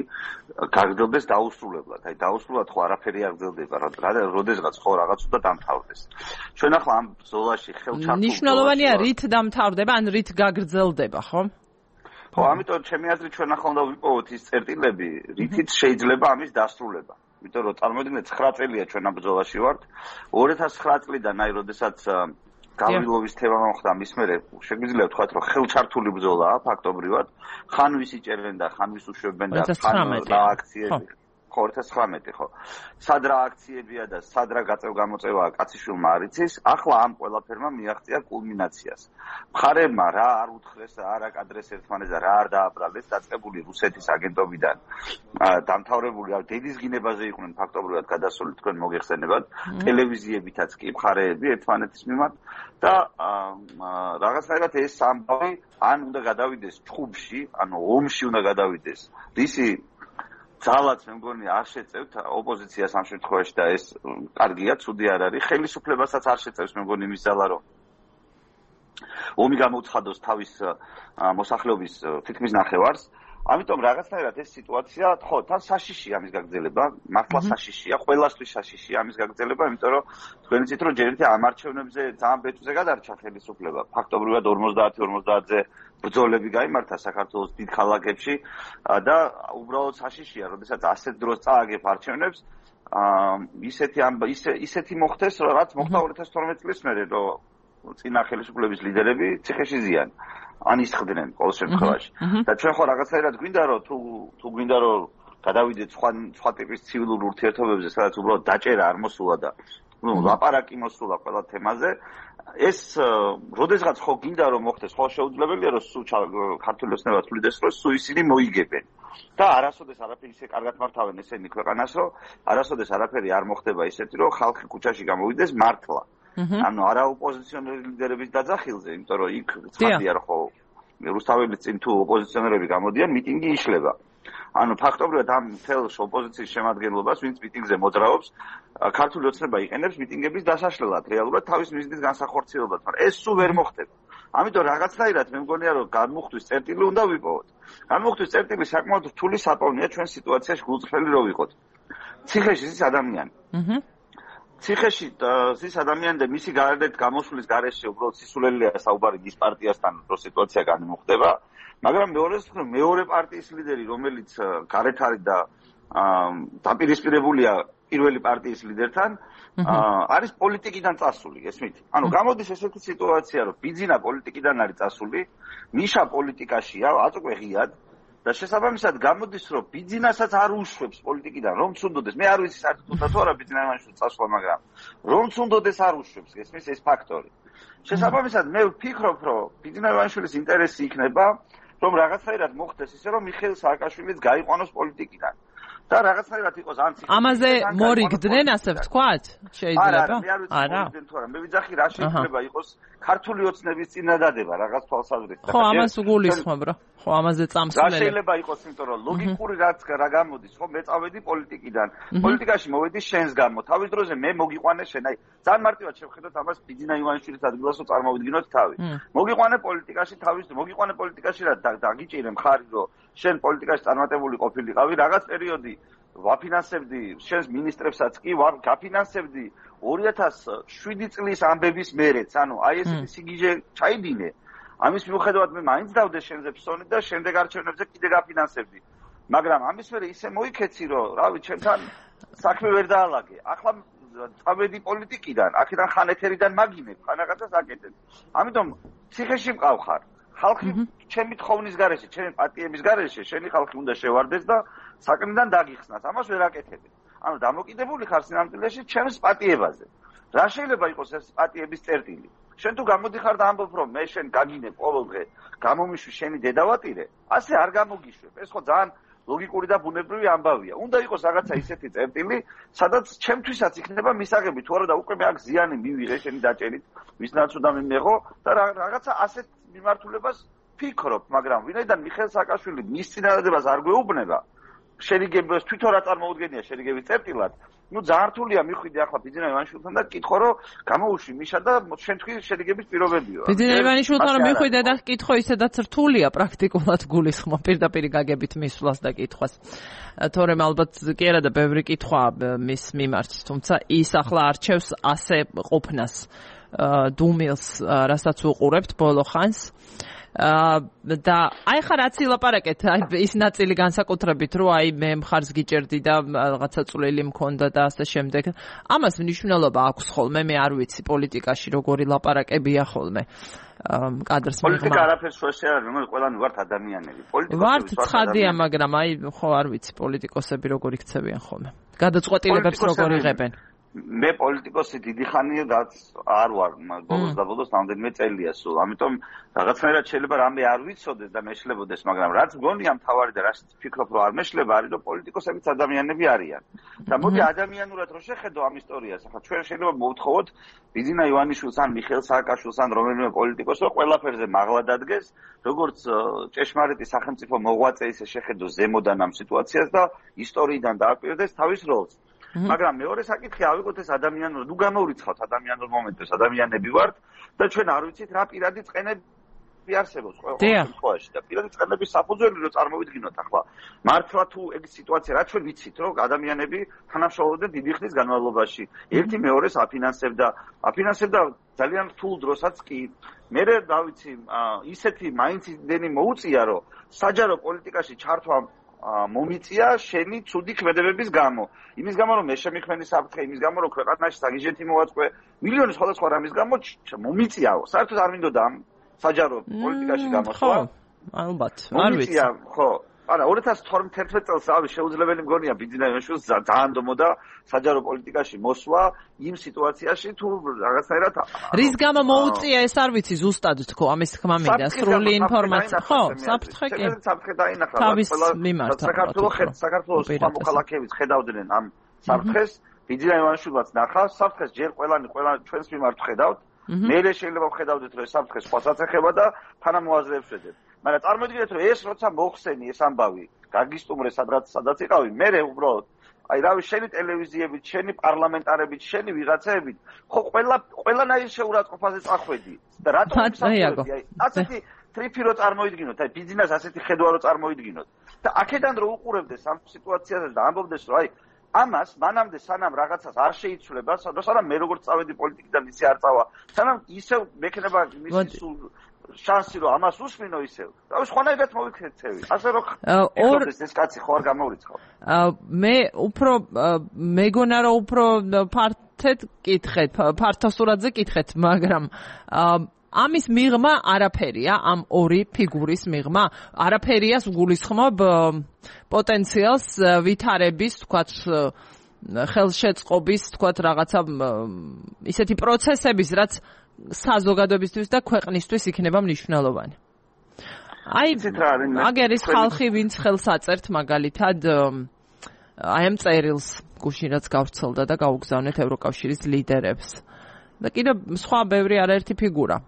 გაგრძელდეს დაუსრულებლად. აი დაუსრულებლად ხო არაფერი არ გრძელდება, როდესღაც ხო რაღაც უნდა დამთავრდეს. ჩვენ ახლა ამ ბრძოლაში ხელჩართულ ნიშნულოვანია რით დამთავრდება, ან რით გაგრძელდება, ხო? ხო, ამიტომ ჩემი აზრით ჩვენ ახლა უნდა ვიპოვოთ ის წერტილები, რითიც შეიძლება ამის დასრულება. იმიტომ რომ წარმოვიდგინეთ ცხრა წელია ჩვენ ამ ბრძოლაში ვართ. ორი ათას ცხრა წლიდან აი როდესაც გავრილოვის თემა მოხდა მის მერე შეგვიძლია ვთქვათ რომ ხელჩართული ბრძოლაა ფაქტობრივად. ხან ვის იჭერენ და ხან ვის უშვებენ და ხან რა აქციები ხო ორი ათას ცხრამეტი ხო სად რა აქციებია და სად რა გაწევ-გამოწევაა კაციშვილმა არ იცის. ახლა ამ ყველაფერმა მიაღწია კულმინაციას. მხარეებმა რა არ უთხრეს, რა არ აკადრეს ერთმანეთს და რა არ დააბრალეს დაწყებული რუსეთის აგენტობიდან დამთავრებული დედის გინებაზე იყვნენ ფაქტობრივად გადასული თქვენ მოგეხსენებათ ტელევიზიებითაც კი მხარეები ერთმანეთის მიმართ და რაღაცნაირად ეს ამბავი ან უნდა გადავიდეს ჩხუბში, ანუ ომში უნდა გადავიდეს. რისი ძალაც მე მგონი არ შეწევთ ოპოზიციას ამ შემთხვევაში და ეს კარგია, ცუდი არ არის. ხელისუფლებასაც არ შეწევს მე მგონი მის ძალა რომ ომი გამოუცხადოს თავის მოსახლეობის თითქმის ნახევარს. ამიტომ რაღაცნაირად ეს სიტუაცია, ხო, თან საშიშია ამის გაგრძელება, მართლა საშიშია, ყველასთვის საშიშია ამის გაგრძელება, იმიტომ რომ თქვენ იცით რომ ჯერ ერთი ამ არჩევნებზე ძალიან ბეჭვზე გადარჩა ხელისუფლება. ფაქტობრივად ორმოცდაათი ორმოცდაათზე ბრძოლები გაიმართა საქართველოს დიდ ქალაქებში და უბრალოდ საშიშია, როდესაც ასეთ დროს წააგებ არჩევნებს, ისეთი ისეთი მოხდეს, რაც მოხდა ორი ათას თორმეტი წლის მერე, რომ წინა ხელისუფლების ლიდერები ციხეში ზიან. ან ისხდნენ ყოველ შემთხვევაში. და ჩვენ ხო რაღაცნაირად გვინდა რომ თუ თუ გვინდა რომ გადავიდეთ სხვა სხვა ტიპის ცივილურ ურთიერთობებზე, სადაც უბრალოდ დაჭერა არ მოსულა და ნუ ლაპარაკი მოსულა ყველა თემაზე, ეს როდესღაც ხო გინდა რომ მოხდეს, ხო შეუძლებელია რომ სულ ქართული ოცნება თulides რომ სულ ისინი მოიგებენ. და არასოდეს არაფერი ისე კარგად მართავენ ესენი ქვეყანას, რომ არასოდეს არაფერი არ მოხდება ისეთი, რომ ხალხი ქუჩაში გამოვიდეს მართლა. ანუ არა ოპოზიციონერი ლიდერების დაძახილზე, იმიტომ რომ იქ ცხადია რომ ხო რუსთაველის წინ თუ ოპოზიციონერები გამოდიან, მიტინგი იშლება. ანუ ფაქტობრივად ამ თელს ოპოზიციის შემადგენლობას, ვინც მიტინგზე მოძრაობს, ქართული ოცნება იყენებს მიტინგების დასაშლელად, რეალურად თავის მიზნის განსახორციელებლად, მაგრამ ეს სულ ვერ მოხდება. ამიტომ რაღაცნაირად მე მგონია რომ განმუხტვის წერტილი უნდა ვიპოვოთ. განმუხტვის წერტილი საკმაოდ რთული საპოვნია ჩვენ სიტუაციაში გულწრფელი რო ვიყოთ. ციხეში ის ადამიანი. აჰა ციხეში ის ადამიანი და მისი გარეთ გამოსulis გარეშე უბრალოდ სისულელია საუბარი ის პარტიასთან რო სიტუაცია განიმუხტება, მაგრამ მეორეს მეორე პარტიის ლიდერი რომელიც გარეთ არის და დაპირისპირებულია პირველი პარტიის ლიდერთან, არის პოლიტიკიდან წასული, ესმით. ანუ გამოდის ესეთი სიტუაცია, რომ ბიძინა პოლიტიკიდან არის წასული, ნიშა პოლიტიკაშია, აწუყვე ღიად და შესაბამისად გამოდის რომ ბიძინასაც არ უშვებს პოლიტიკიდან რომ ცუნდოდეს. მე არ ვიცი საერთოდ თუ არა ბიძინა ივანიშვილის წასვლა, მაგრამ რომ ცუნდოდეს არ უშვებს, ესმის ეს ფაქტორი. შესაბამისად მე ვფიქრობ რომ ბიძინა ივანიშვილის ინტერესი იქნება რომ რაღაცნაირად მოხდეს ისე რომ მიხეილ სააკაშვილიც გაიყვანოს პოლიტიკიდან. და რაღაცნაირად იყოს ან ციხე. ამაზე მორიგდნენ ასე ვთქვათ? შეიძლება? არა. მე ვიძახი რა შეიძლება იყოს ქართული ოცნების წინადადება რაღაც თვალსაზრისით. ხო, ამას გულისხმობ რა. ხო, ამაზე წამსვლელი. რა შეიძლება იყოს, იმიტომ რომ ლოგიკური რაც რა გამოდის, ხო, მე წავედი პოლიტიკიდან. პოლიტიკაში მოვედი შენს გამო. თავის დროზე მე მოგიყვანე შენ. აი, ძალიან მარტივად შევხედოთ ამას ბიძინა ივანიშვილის ადგილას რომ წარმოვიდგინოთ თავი. მოგიყვანე პოლიტიკაში თავის მოგიყვანე პოლიტიკაში რა დაგიჭირე მხარი რომ შენ პოლიტიკაში წარმატებული ყოფილიყავი რაღაც პერიოდი ვაფინანსებდი შენს მინისტრებსაც კი ვარ გაფინანსებდი ორი ათას შვიდი წლის ამბების მერეც, ანუ აი ესეთი სიგიჟე ჩაიდინე. ამის მიუხედავად მე მაინც დავდე შენზე ფსონი და შემდეგ არჩევნებზე კიდე გაფინანსებდი. მაგრამ ამის მერე ისე მოიქეცი რომ, რავი, ჩემთან საქმე ვერ დაალაგე. ახლა წავედი პოლიტიკიდან, აქედან ხან ეთერიდან მაგინებ, ხან რაღაცას აკეთებ. ამიტომ ციხეში მყავხარ. ხალხი ჩემი თხოვნის გარეშე, ჩემი პატიების გარეშე, შენი ხალხი უნდა შევარდეს და საკნიდან დაგიხსნას. ამას ვერ აკეთები. ანუ დამოკიდებული ხარ სინამდვილეში ჩემს პატიებაზე. რა შეიძლება იყოს ეს პატიების წერტილი? შენ თუ გამოდიხარ და ამბობ რომ მე შენ გაგინებ ყოველ დღე, გამომიშვი შენი დედავატირე, ასე არ გამოგიშვებ. ეს ხო ძალიან ლოგიკური და ბუნებრივი ამბავია. უნდა იყოს რაღაცა ისეთი წერტილი, სადაც ჩემთვისაც იქნება მისაღები, თუ არა და უკვე მე აქ ზიანი მივიღე შენი დაჭერით, ვისნაც უნდა მიმეღო და რაღაცა ასეთ მიმართულებას ფიქრობ, მაგრამ ვინაიდან მიხეილ სააკაშვილი მის წინადადებას არ გვეუბნება, შერიგებას თვითონ რა წარმოუდგენია შერიგების წერტილად, ну ძალიან რთულია მიხვიდე ახლა ბიძინა ივანიშვილთან და კითხო რომ გამოუშვი მიშა და შენ თქვი შერიგების პირობებიო. ბიძინა ივანიშვილთან რომ მიხვიდე და კითხო ისედაც რთულია პრაქტიკულად გულისხმო პირდაპირ გაგებით მისვლას და კითხვას. თორემ ალბათ კი არა და ბევრი კითხვა მის მიმართ, თუმცა ის ახლა არჩევს ასე ყოფნას დუმილს, რასაც უყურებთ ბოლო ხანს. და აი ხა რაც ილაპარაკეთ, აი ის ნაწილი განსაკუთრებით, რომ აი მე მხარს გიჭერდი და რაღაცა წვლილი მქონდა და ასე შემდეგ. ამას მნიშვნელობა აქვს ხოლმე, მე არ ვიცი პოლიტიკაში როგორი ლაპარაკებია ხოლმე. კადრს მიღმა. პოლიტიკა არაფერს შუაში არ არის, რომელიც ყველანი ვართ ადამიანები. ვართ ცხადია, მაგრამ აი ხო არ ვიცი პოლიტიკოსები როგორ იქცევიან ხოლმე. გადაწყვეტილებებს როგორ იღებენ. მე პოლიტიკოსი დიდი ხანია რაც არ ვარ, ბოლოს და ბოლოს რამდენიმე წელია სულ. ამიტომ რაღაცნაირად შეიძლება რამე არ ვიცოდეს და მეშლებოდეს, მაგრამ რაც გონია მთავარი და რაც ფიქრობ რომ არ მეშლება არის, რომ პოლიტიკოსებიც ადამიანები არიან. და მოდი ადამიანურად რო შეხედო ამ ისტორიას, ახლა ჩვენ შეიძლება მოვთხოვოთ ბიძინა ივანიშვილს ან მიხეილ სააკაშვილს ან რომელიმე პოლიტიკოსს, რომ ყველაფერზე მაღლა დადგეს, როგორც ჭეშმარიტი სახელმწიფო მოღვაწე ისე შეხედო ზემოდან ამ სიტუაციას და ისტორიიდან დააკვირდეს თავის როლს. მაგრამ მეორე საკითხი ავიღოთ ეს ადამიანურ, ნუ გამოვრიცხავთ ადამიანურ მომენტებს, ადამიანები ვართ და ჩვენ არ ვიცით რა პირადი წყენები არსებობს ყველა შემთხვევაში და პირადი წყენების საფუძველი რო წარმოვიდგინოთ ახლა. მართლა თუ ეგ სიტუაცია რა ჩვენ ვიცით რომ ადამიანები თანამშრომლობდნენ დიდი ხნის განმავლობაში. ერთი მეორეს აფინანსებდა, აფინანსებდა ძალიან რთულ დროსაც კი. მე რა ვიცი, ისეთი მაინც იმდენი მოუწია რომ საჯარო პოლიტიკაში ჩართვა მომიწია შენი ცუდი ქმედებების გამო. იმის გამო რომ მე შემიქმენი საფრთხე, იმის გამო რომ ქვეყანაში საგიჟეთი მოვაწყვე, მილიონი სხვადასხვა რამის გამო მომიწიაო. საერთოდ არ მინდოდა ამ საჯარო პოლიტიკაში გამოსვლა. ხო, ალბათ, არ ვიცი. ხო. არა, ორი ათას თორმეტ წელს ავი შეუძლებელი მგონია ბიძინა ივანიშვილს ძალიან დომოდა საჯარო პოლიტიკაში მოსვლა იმ სიტუაციაში თუ რაღაცნაირად რის გამო მოუწია ეს არ ვიცი ზუსტად თქო ამის თქმა მინდა სრული ინფორმაცია ხო საფრთხე კი საფრთხე დაინახა თავის მიმართ საქართველოს საქართველოს სხვა მოქალაქეებიც ხედავდნენ ამ საფრთხეს ბიძინა ივანიშვილს ნახა საფრთხეს ჯერ ყველანი ყველა ჩვენს მიმართ ხედავთ მე შეიძლება ვხედავდეთ რომ ეს საფრთხე სხვასაც ეხება და თანამოაზრეებს ვეძებ მაგრამ წარმოიდგინეთ რომ ეს როცა მოხსენი ეს ამბავი გაგისტუმრე სადღაც სადაც იყავი მე უბრალოდ აი რავი შენი ტელევიზიებით შენი პარლამენტარებით შენი ვიღაცაებით ხო ყველა ყველანაირ შეურაცხყოფაზე წახვედი და რატომ აი ასეთი ტრიფი რო წარმოიდგინოთ აი ბიზნეს ასეთი ხედვა რო წარმოიდგინოთ და აქედან რო უყურებდეს ამ სიტუაციაზე და ამბობდეს რომ აი ამას მანამდე სანამ რაღაცას არ შეიცვლება სანამ მე როგორც წავედი პოლიტიკიდან ისე არ წავა სანამ ისევ მექნება მისი სულ შანსი რომ ამას უსმინო ისევ. რავი სხვანაირად მოვიქცევი. ასე რომ ორ ეს კაცი ხო არ გამოვრიცხავ. მე უფრო მეგონა რომ უფრო ფართედ კითხეთ, ფართოსურადზე კითხეთ, მაგრამ ამის მიღმა არაფერია, ამ ორი ფიგურის მიღმა არაფერია გულისხმობ პოტენციალს ვითარების, თქვათ ხელშეწყობის, თქვათ რაღაცა ისეთი პროცესების, რაც საზოგადოებისთვის და ქვეყნისთვის იქნება მნიშვნელოვანი. აი, აგერ ის ხალხი, ვინც ხელს აწერთ მაგალითად აი ამ წერილს გუშინ რაც გავრცელდა და გაუგზავნეთ ევროკავშირის ლიდერებს. და კიდევ სხვა ბევრი არაერთი ფიგურა.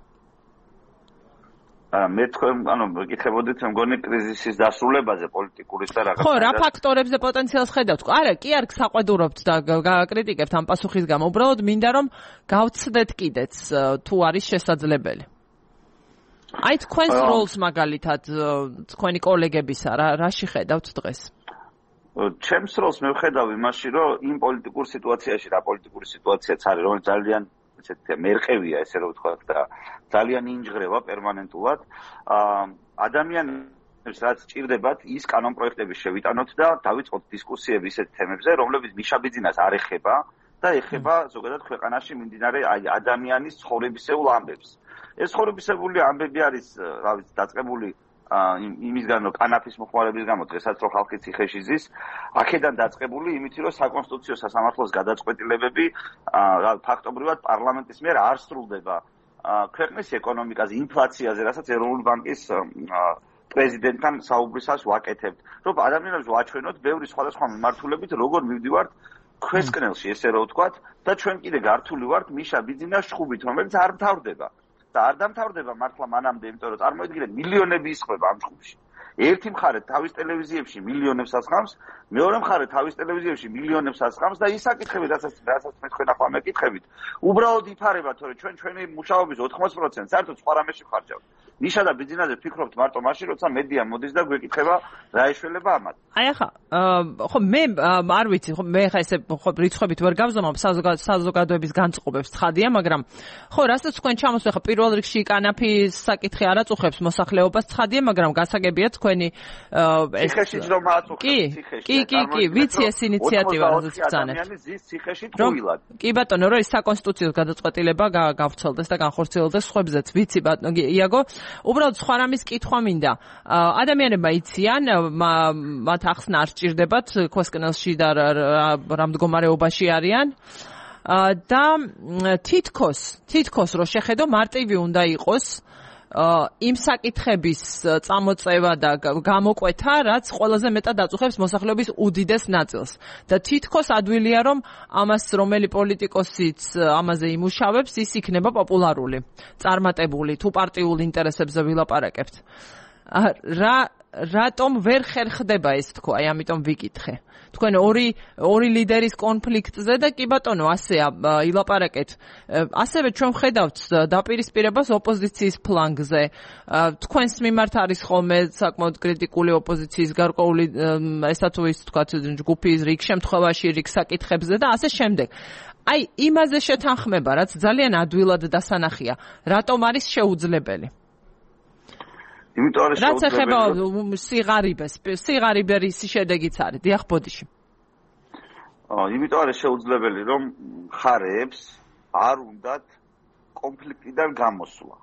მე თქვენ, ანუ გიკითხებოდით, მგონი კრიზისის დასრულებაზე პოლიტიკურის და რაღაცა. ხო, რა ფაქტორებზე პოტენციალს ხედავთ? არა, კი არ საყვედურობთ და გაკრიტიკებთ ამ პასუხის გამო. უბრალოდ მინდა რომ გავცდეთ კიდეც თუ არის შესაძლებელი. აი თქვენს როლს მაგალითად თქვენი კოლეგებისა რა რაში ხედავთ დღეს? ჩემს როლს მე ვხედავ იმაში, რომ იმ პოლიტიკურ სიტუაციაში, რა პოლიტიკური სიტუაციაც არის, რომელიც ძალიან ესეთი მერყევია, ესე რომ ვთქვათ და ძალიან ინჯღრევა პერმანენტულად. ადამიანებს რაც ჭირდებათ, ის კანონპროექტები შევიტანოთ და დავიწყოთ დისკუსიები ისეთ თემებზე, რომლებიც მიშაბიძინას არ ეხება და ეხება ზოგადად ქვეყანაში მიმდინარე აი ადამიანის ცხოვრებისეულ ამბებს. ეს ცხოვრებისეული ამბები არის, რა ვიცი, დაწყებული იმისგან რომ კანაფის მოხმარების გამო დღესაც რო ხალხი ციხეში ზის, აქედან დაწყებული იმით რომ საკონსტიტუციო სასამართლოს გადაწყვეტილებები ფაქტობრივად პარლამენტის მიერ არ სრულდება ქვეყნის ეკონომიკაზე, ინფლაციაზე, რასაც ეროვნული ბანკის პრეზიდენტთან საუბრისას ვაკეთებთ. რომ ადამიანებს ვაჩვენოთ ბევრი სხვადასხვა მიმართულებით როგორ მივდივართ ქვესკნელში, ესე რომ ვთქვათ, და ჩვენ კიდე გართული ვართ მიშა ბიძინას შხუბით, რომელიც არ მთავრდება. და არ დამთავრდება მართლა მანამდე, იმიტომ რომ წარმოიდგინეთ მილიონები ისხება ამ ჯგუფში. ერთი მხარე თავის ტელევიზიებში მილიონებს ასხამს, მეორე მხარე თავის ტელევიზიებში მილიონებს ასხამს და ის საკითხები, რასაც რასაც მე თქვენ ახლა მეკითხებით, უბრალოდ იფარება, თორე ჩვენ ჩვენი მუშაობის ოთხმოცდაათი პროცენტი საერთოდ სხვა რამეში ვხარჯავთ. ნიშა და ბიზნესზე ფიქრობთ მარტო მაშინ, როცა მედია მოდის და გვეკითხება რა ეშველება ამათ. აი ახლა ხო მე არ ვიცი, ხო მე ხა ესე ხო რიცხვებით ვერ გავზომავ საზოგადოების განწყობებს ცხადია, მაგრამ ხო რასაც თქვენ ჩამოსვე ხა პირველ რიგში კანაფის საკითხი არ აწუხებს მოსახლეობას ცხადია, მაგრამ გასაგებია თქვენი ეს ციხეში რომ აწუხებს ციხეში. კი, კი, კი, ვიცი ეს ინიციატივა რაზეც ბრძანებთ. ადამიანის ზის ციხეში ტყუილად. კი ბატონო, რომ ეს საკონსტიტუციო გადაწყვეტილება გავცელდეს და განხორციელდეს ხუებზეც, ვიცი ბატონო იაგო. უბრალოდ სხვა რამის კითხვა მინდა. ადამიანებმა იციან, მათ ახსნა არ სჭირდებათ ქვესკნელში და რა მდგომარეობაში არიან. და თითქოს, თითქოს რო შეხედო მარტივი უნდა იყოს იმ საკითხების წამოწევა და გამოკვეთა, რაც ყველაზე მეტად აწუხებს მოსახლეობის უდიდეს ნაწილს. და თითქოს ადვილია, რომ ამას რომელი პოლიტიკოსიც ამაზე იმუშავებს, ის იქნება პოპულარული, წარმატებული, თუ პარტიულ ინტერესებზე ვილაპარაკებთ. რა რატომ ვერ ხერხდება ეს თქო, აი ამიტომ ვიკითხე. თქვენ ორი ორი ლიდერის კონფლიქტზე და კი ბატონო ასე ილაპარაკეთ. ასევე ჩვენ ვხედავთ დაპირისპირებას ოპოზიციის ფლანგზე. თქვენს მიმართ არის ხოლმე საკმაოდ კრიტიკული ოპოზიციის გარკვეული ესა თუ ის თქვა ჯგუფის რიგ შემთხვევაში რიგ საკითხებზე და ასე შემდეგ. აი იმაზე შეთანხმება, რაც ძალიან ადვილად დასანახია, რატომ არის შეუძლებელი? იმიტომ არის რაც ეხება სიღარიბეს, სიღარიბერის შედეგიც არის. დიახ, ბოდიში. აა, იმიტომ არის შეუძლებელი, რომ მხარეებს არ უნდათ კონფლიქტიდან გამოსვლა.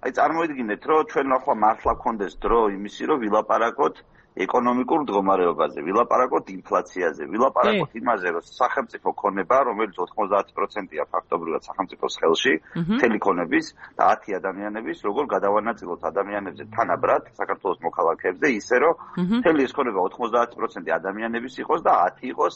აი, წარმოიდგინეთ, რომ ჩვენ ახლა მართლა გქონდეს დრო იმისი, რომ ვილაპარაკოთ ეკონომიკურ მდგომარეობაზე, ვილაპარაკოთ ინფლაციაზე, ვილაპარაკოთ იმაზე, რომ სახელმწიფო ქონება, რომელიც ოთხმოცდაათი პროცენტია ფაქტობრივად სახელმწიფოს ხელში, მთელი ქონების და ათი ადამიანების, როგორ გადავანაწილოთ ადამიანებზე თანაბრად საქართველოს მოქალაქეებზე, ისე რომ მთელი ეს ქონება ოთხმოცდაათი პროცენტი ადამიანების იყოს და ათი იყოს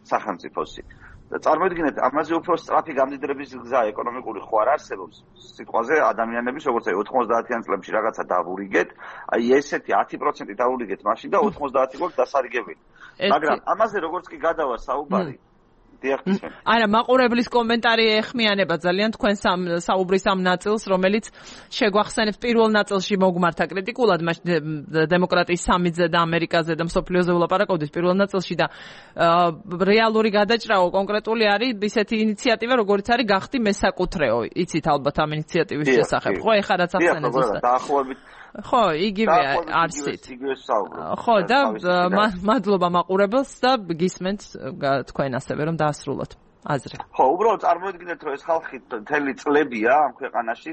სახელმწიფოსი. და წარმოიდგინეთ, ამაზე უფრო სწრაფი გამდიდრების გზა ეკონომიკური ხო არ არსებობს. სიტყვაზე ადამიანების, როგორც აი ოთხმოცდაათიან წლებში რაღაცა დავურიგეთ, აი ესეთი ათი პროცენტი დავურიგეთ მაშინ და ოთხმოცდაათი გვაქვს დასარიგებელი. მაგრამ ამაზე როგორც კი გადავა საუბარი, დიახ. არა, მაყურებლის კომენტარი ეხმიანება ძალიან თქვენ საუბრის ამ ნაწილს, რომელიც შეგვახსენებს პირველ ნაწილში მოგმართა კრიტიკულად, მაშინ დემოკრატიის სამიტზე და ამერიკაზე და მსოფლიოზე ვლაპარაკობდით პირველ ნაწილში და რეალური გადაჭრაო კონკრეტული არის ისეთი ინიციატივა, როგორიც არის გახდი მესაკუთრეო. იცით ალბათ ამ ინიციატივის შესახებ, ხო? ეხლა რაც ახსენეთ ზუსტად. დაახლოებით ხო, იგივე არსით. ხო, და მადლობა მაყურებელს და გისმენთ თქვენ ასევე რომ დაასრულოთ აზრი. ხო, უბრალოდ წარმოიდგინეთ, რომ ეს ხალხი მთელი წლებია ამ ქვეყანაში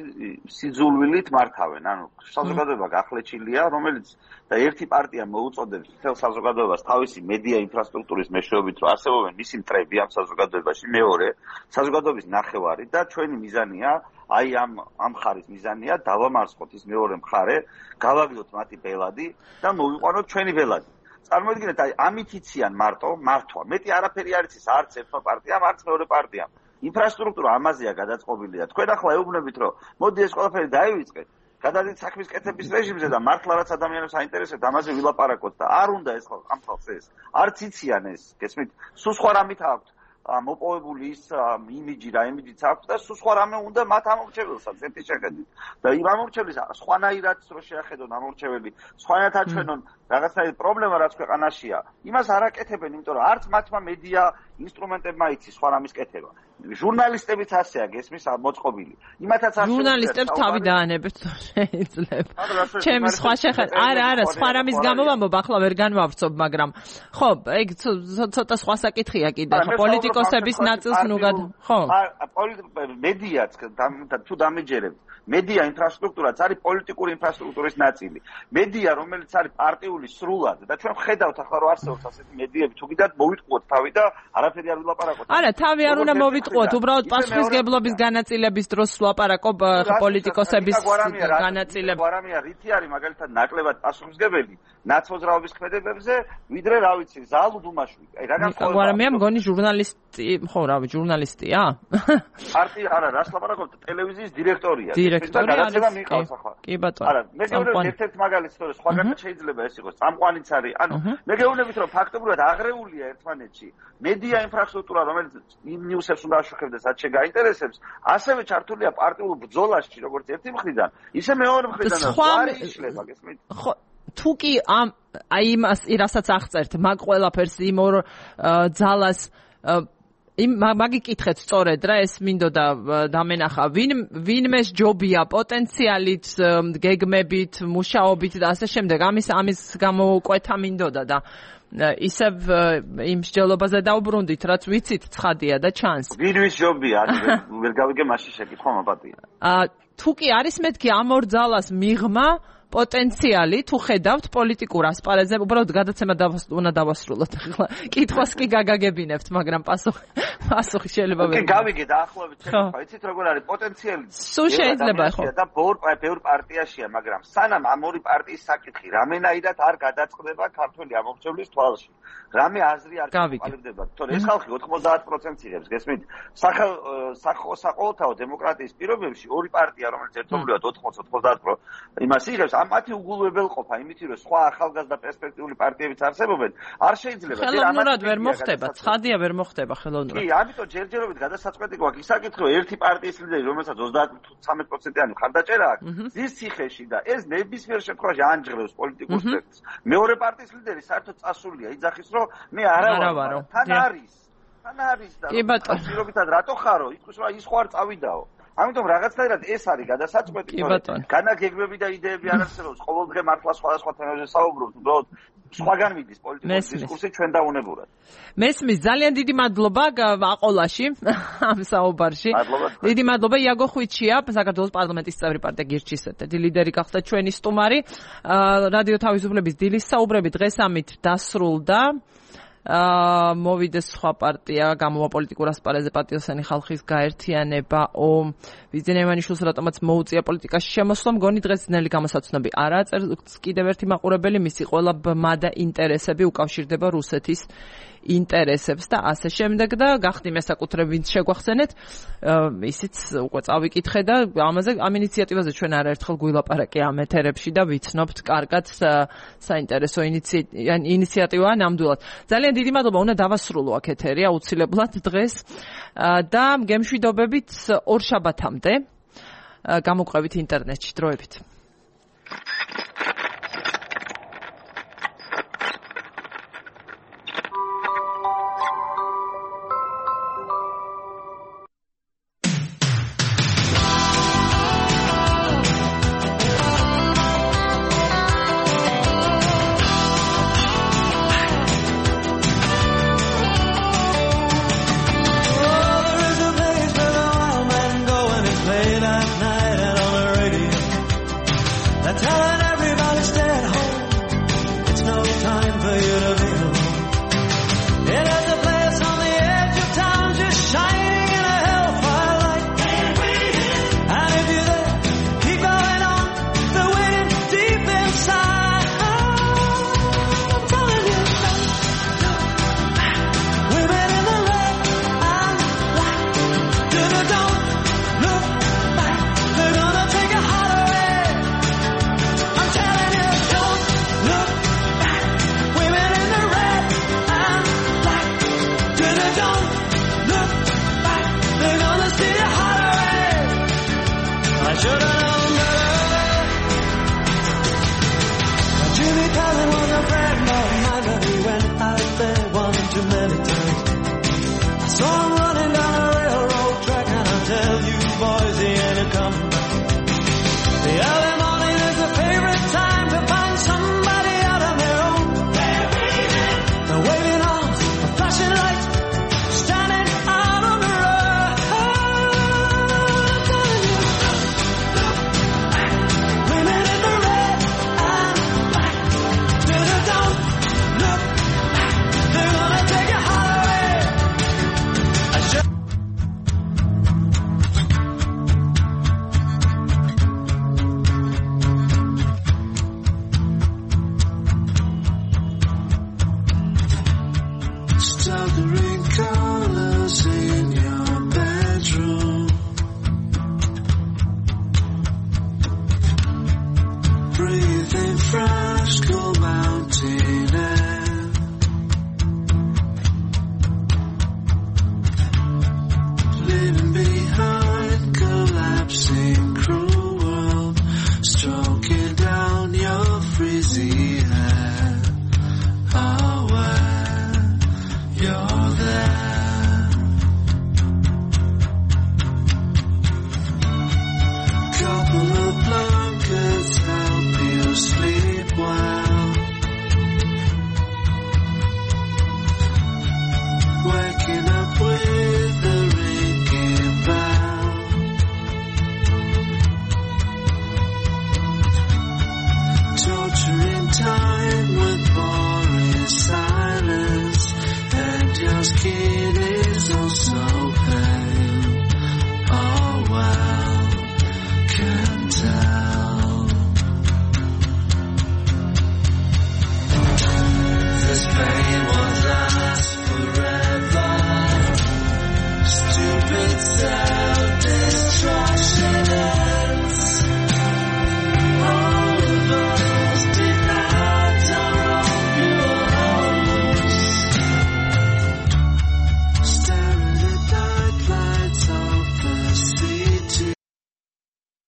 სიძულვილით მართავენ. ანუ საზოგადოება გახლეჩილია, რომელიც და ერთი პარტია მოუწოდებს მთელ საზოგადოებას თავისი მედია ინფრასტრუქტურის მეშვეობით, რომ არსებობენ მისი მტრები ამ საზოგადოებაში, მეორე საზოგადოების ნახევარი და ჩვენი მიზანია აი ამ ამ მხარის მიზანია დავამარცხოთ ის მეორე მხარე, გავაგდოთ მათი ბელადი და მოვიყვანოთ ჩვენი ბელადი. წარმოიდგინეთ, აი ამით იციან მარტო მართვა. მეტი არაფერი არ იცის არც ერთმა პარტიამ, არც მეორე პარტიამ. ინფრასტრუქტურა ამაზეა გადაწყობილი და თქვენ ახლა ეუბნებით, რომ მოდი ეს ყველაფერი დაივიწყეთ. გადადით საქმის კეთების რეჟიმზე და მართლა რაც ადამიანებს აინტერესებთ, ამაზე ვილაპარაკოთ და არ უნდა ეს ამ ხალხს ეს. არც იციან ეს, გესმით? სულ სხვა რამით აქვთ მოპოვებული ის იმიჯი რა იმიჯიც აქვს და სულ სხვა რამე უნდა მათ ამორჩეველსაც ერთი შეხედვით. და იმ ამორჩეველს სხვანაირად რო შეახედონ ამორჩეველი, სხვანაირად აჩვენონ რაღაცნაირი პრობლემა რაც ქვეყანაშია, იმას არ აკეთებენ, იმიტომ რომ არც მათმა მედია ინსტრუმენტებმა იცის სხვა რამის კეთება. ჟურნალისტებიც ასეა, გესმის მოწყობილი. იმათაც არ ჟურნალისტებს თავი დაანებეთ შეიძლება. ჩემი სხვა შეხედვა. არა, არა, სხვა რამის გამო ვამბობ, ახლა ვერ განვავრცობ, მაგრამ ხო, ეგ ცოტა სხვა საკითხია კიდე. პოლიტიკოსების ნაწილს ნუგად, ხო? მედიაც თუ დამეჯერებთ, მედია ინფრასტრუქტურაც არის პოლიტიკური ინფრასტრუქტურის ნაწილი. მედია, რომელიც არის პარტიული სრულად და ჩვენ ვხედავთ ახლა რომ არსებობს ასეთი მედიები, თუ კიდევ მოვიტყუოთ თავი და არაფერი არ ვილაპარაკოთ. არა, თავი არ უნდა მოვიტყუოთ. გიტყუოთ, უბრალოდ პასუხისგებლობის განაწილების დროს ვლაპარაკობ პოლიტიკოსების განაწილება. გვარამია რითი არის მაგალითად ნაკლებად პასუხისგებელი ნაცმოძრაობის ქმედებებზე, ვიდრე რა ვიცი, ზალუ დუმაშვილი. აი რა განსხვავება? გვარამია მგონი ჟურნალისტი, ხო რა, ჟურნალისტია? პარტია არა, რას ლაპარაკობთ, ტელევიზიის დირექტორია. დირექტორი არის. კი ბატონო. არა, მე გეუბნებით ერთ-ერთ მაგალითს, თორე სხვაგანაც შეიძლება ეს იყოს, წამყვანიც არის. ანუ მე გეუბნებით რომ ფაქტობრივად აღრეულია ერთმანეთში მედია ინფრასტრუქტურა, რომელიც იმ ნიუსებს უნდა აშუქებდეს, რაც შეგაინტერესებს, ასევე ჩართულია პარტიულ ბრძოლაში, როგორც ერთი მხრიდან, ისე მეორე მხრიდან არის იშლება, გესმით? ხო, თუ კი ამ აი იმას, რასაც აღწერთ, მაგ ყველაფერს იმ ორ ძალას იმ მაგიკითხეთ სწორედ რა, ეს მინდოდა დამენახა, ვინ ვინმეს ჯობია პოტენციალით, გეგმებით, მუშაობით და ასე შემდეგ, ამის ამის გამოკვეთა მინდოდა და ისევ იმ მსჯელობაზე დავბრუნდით, რაც ვიცით ცხადია და ჩანს. ვინმეს ჯობია, ვერ გავიგე მაშინ შეკითხვა მაპატია. აა თუ კი არის მეთქი ამ ორ ძალას მიღმა პოტენციალი, თუ ხედავთ პოლიტიკურ ასპარეზზე, უბრალოდ გადაცემა უნდა დავასრულოთ. ახლა კითხვას კი გაგაგებინებთ, მაგრამ პასუხი პასუხი შეიძლება ვერ. კი გავიგე დაახლოებით შეგეხვა, იცით როგორ არის პოტენციალი? სულ შეიძლება ხო? და ბევრ ბევრ პარტიაშია, მაგრამ სანამ ამ ორი პარტიის საკითხი რამენაირად არ გადაწყდება ქართული ამომრჩევლის თვალში. რამე აზრი არ გაყალიბდება. თორე ეს ხალხი ოთხმოცდაათ პროცენტს იღებს, გესმით? საყოველთაო დემოკრატიის პირობებში ორი პარტია, რომელიც ერთობლივად ოთხმოცდა ოცდაათ პროცენტს იმას იღებს, მათი უგულვებელყოფა იმითი რომ სხვა ახალგაზრდა პერსპექტიული პარტიებიც არსებობენ, არ შეიძლება. ხელოვნურად ვერ მოხდება, ცხადია ვერ მოხდება ხელოვნურად. კი, ამიტომ ჯერჯერობით გადასაწყვეტი გვაქვს ის საკითხი, რომ ერთი პარტიის ლიდერი, რომელსაც ოცდაათი პროცენტიანი მხარდაჭერა აქვს, ზის ციხეში და ეს ნებისმიერ შემთხვევაში ანჯღრევს პოლიტიკურ სპექტრს. მეორე პარტიის ლიდერი საერთოდ წასულია, იძახის რომ მე არა ვარ, თან არის. თან არის და პირობითად რატო ხარო? ითქვის რომ ის ხო არ წავიდაო. ამიტომ რაღაცნაირად ეს არის გადასაწყვეტი, რომ განაგეგმები და იდეები არ არსებობს, ყოველდღე მართლა სხვადასხვა თემებზე საუბრობთ, უბრალოდ სხვაგან მიდის პოლიტიკური დისკურსი ჩვენ დაუნებურად. მესმის, ძალიან დიდი მადლობა აყოლაში ამ საუბარში. დიდი მადლობა იაგო ხვიჩია, საქართველოს პარლამენტის წევრი პარტია გირჩის ერთ-ერთი ლიდერი გახდა ჩვენი სტუმარი. რადიო თავისუფლების დილის საუბრები დღეს ამით დასრულდა. აა მოვიდეს სხვა პარტია, გამოვა პოლიტიკურ ასპარეზზე პატიოსანი ხალხის გაერთიანება, ო ვიზენეევანიშვილს რატომაც მოუწია პოლიტიკაში შემოსვლა, მგონი დღეს ძნელი გამოსაცნობი არაა, წერს კიდევ ერთი მაყურებელი, მისი ყველა ბმა და ინტერესები უკავშირდება რუსეთის ინტერესებს და ასე შემდეგ და გახდი მესაკუთრე ვინც შეგვახსენეთ, ისიც უკვე წავიკითხე და ამაზე ამ ინიციატივაზე ჩვენ არაერთხელ გვილაპარაკე ამ ეთერებში და ვიცნობთ კარგად საინტერესო ინიციატივაა ნამდვილად. ძალიან დიდი მადლობა, უნდა დავასრულო აქ ეთერი აუცილებლად დღეს და გემშვიდობებით ორ შაბათამდე გამოყვებით ინტერნეტში დროებით.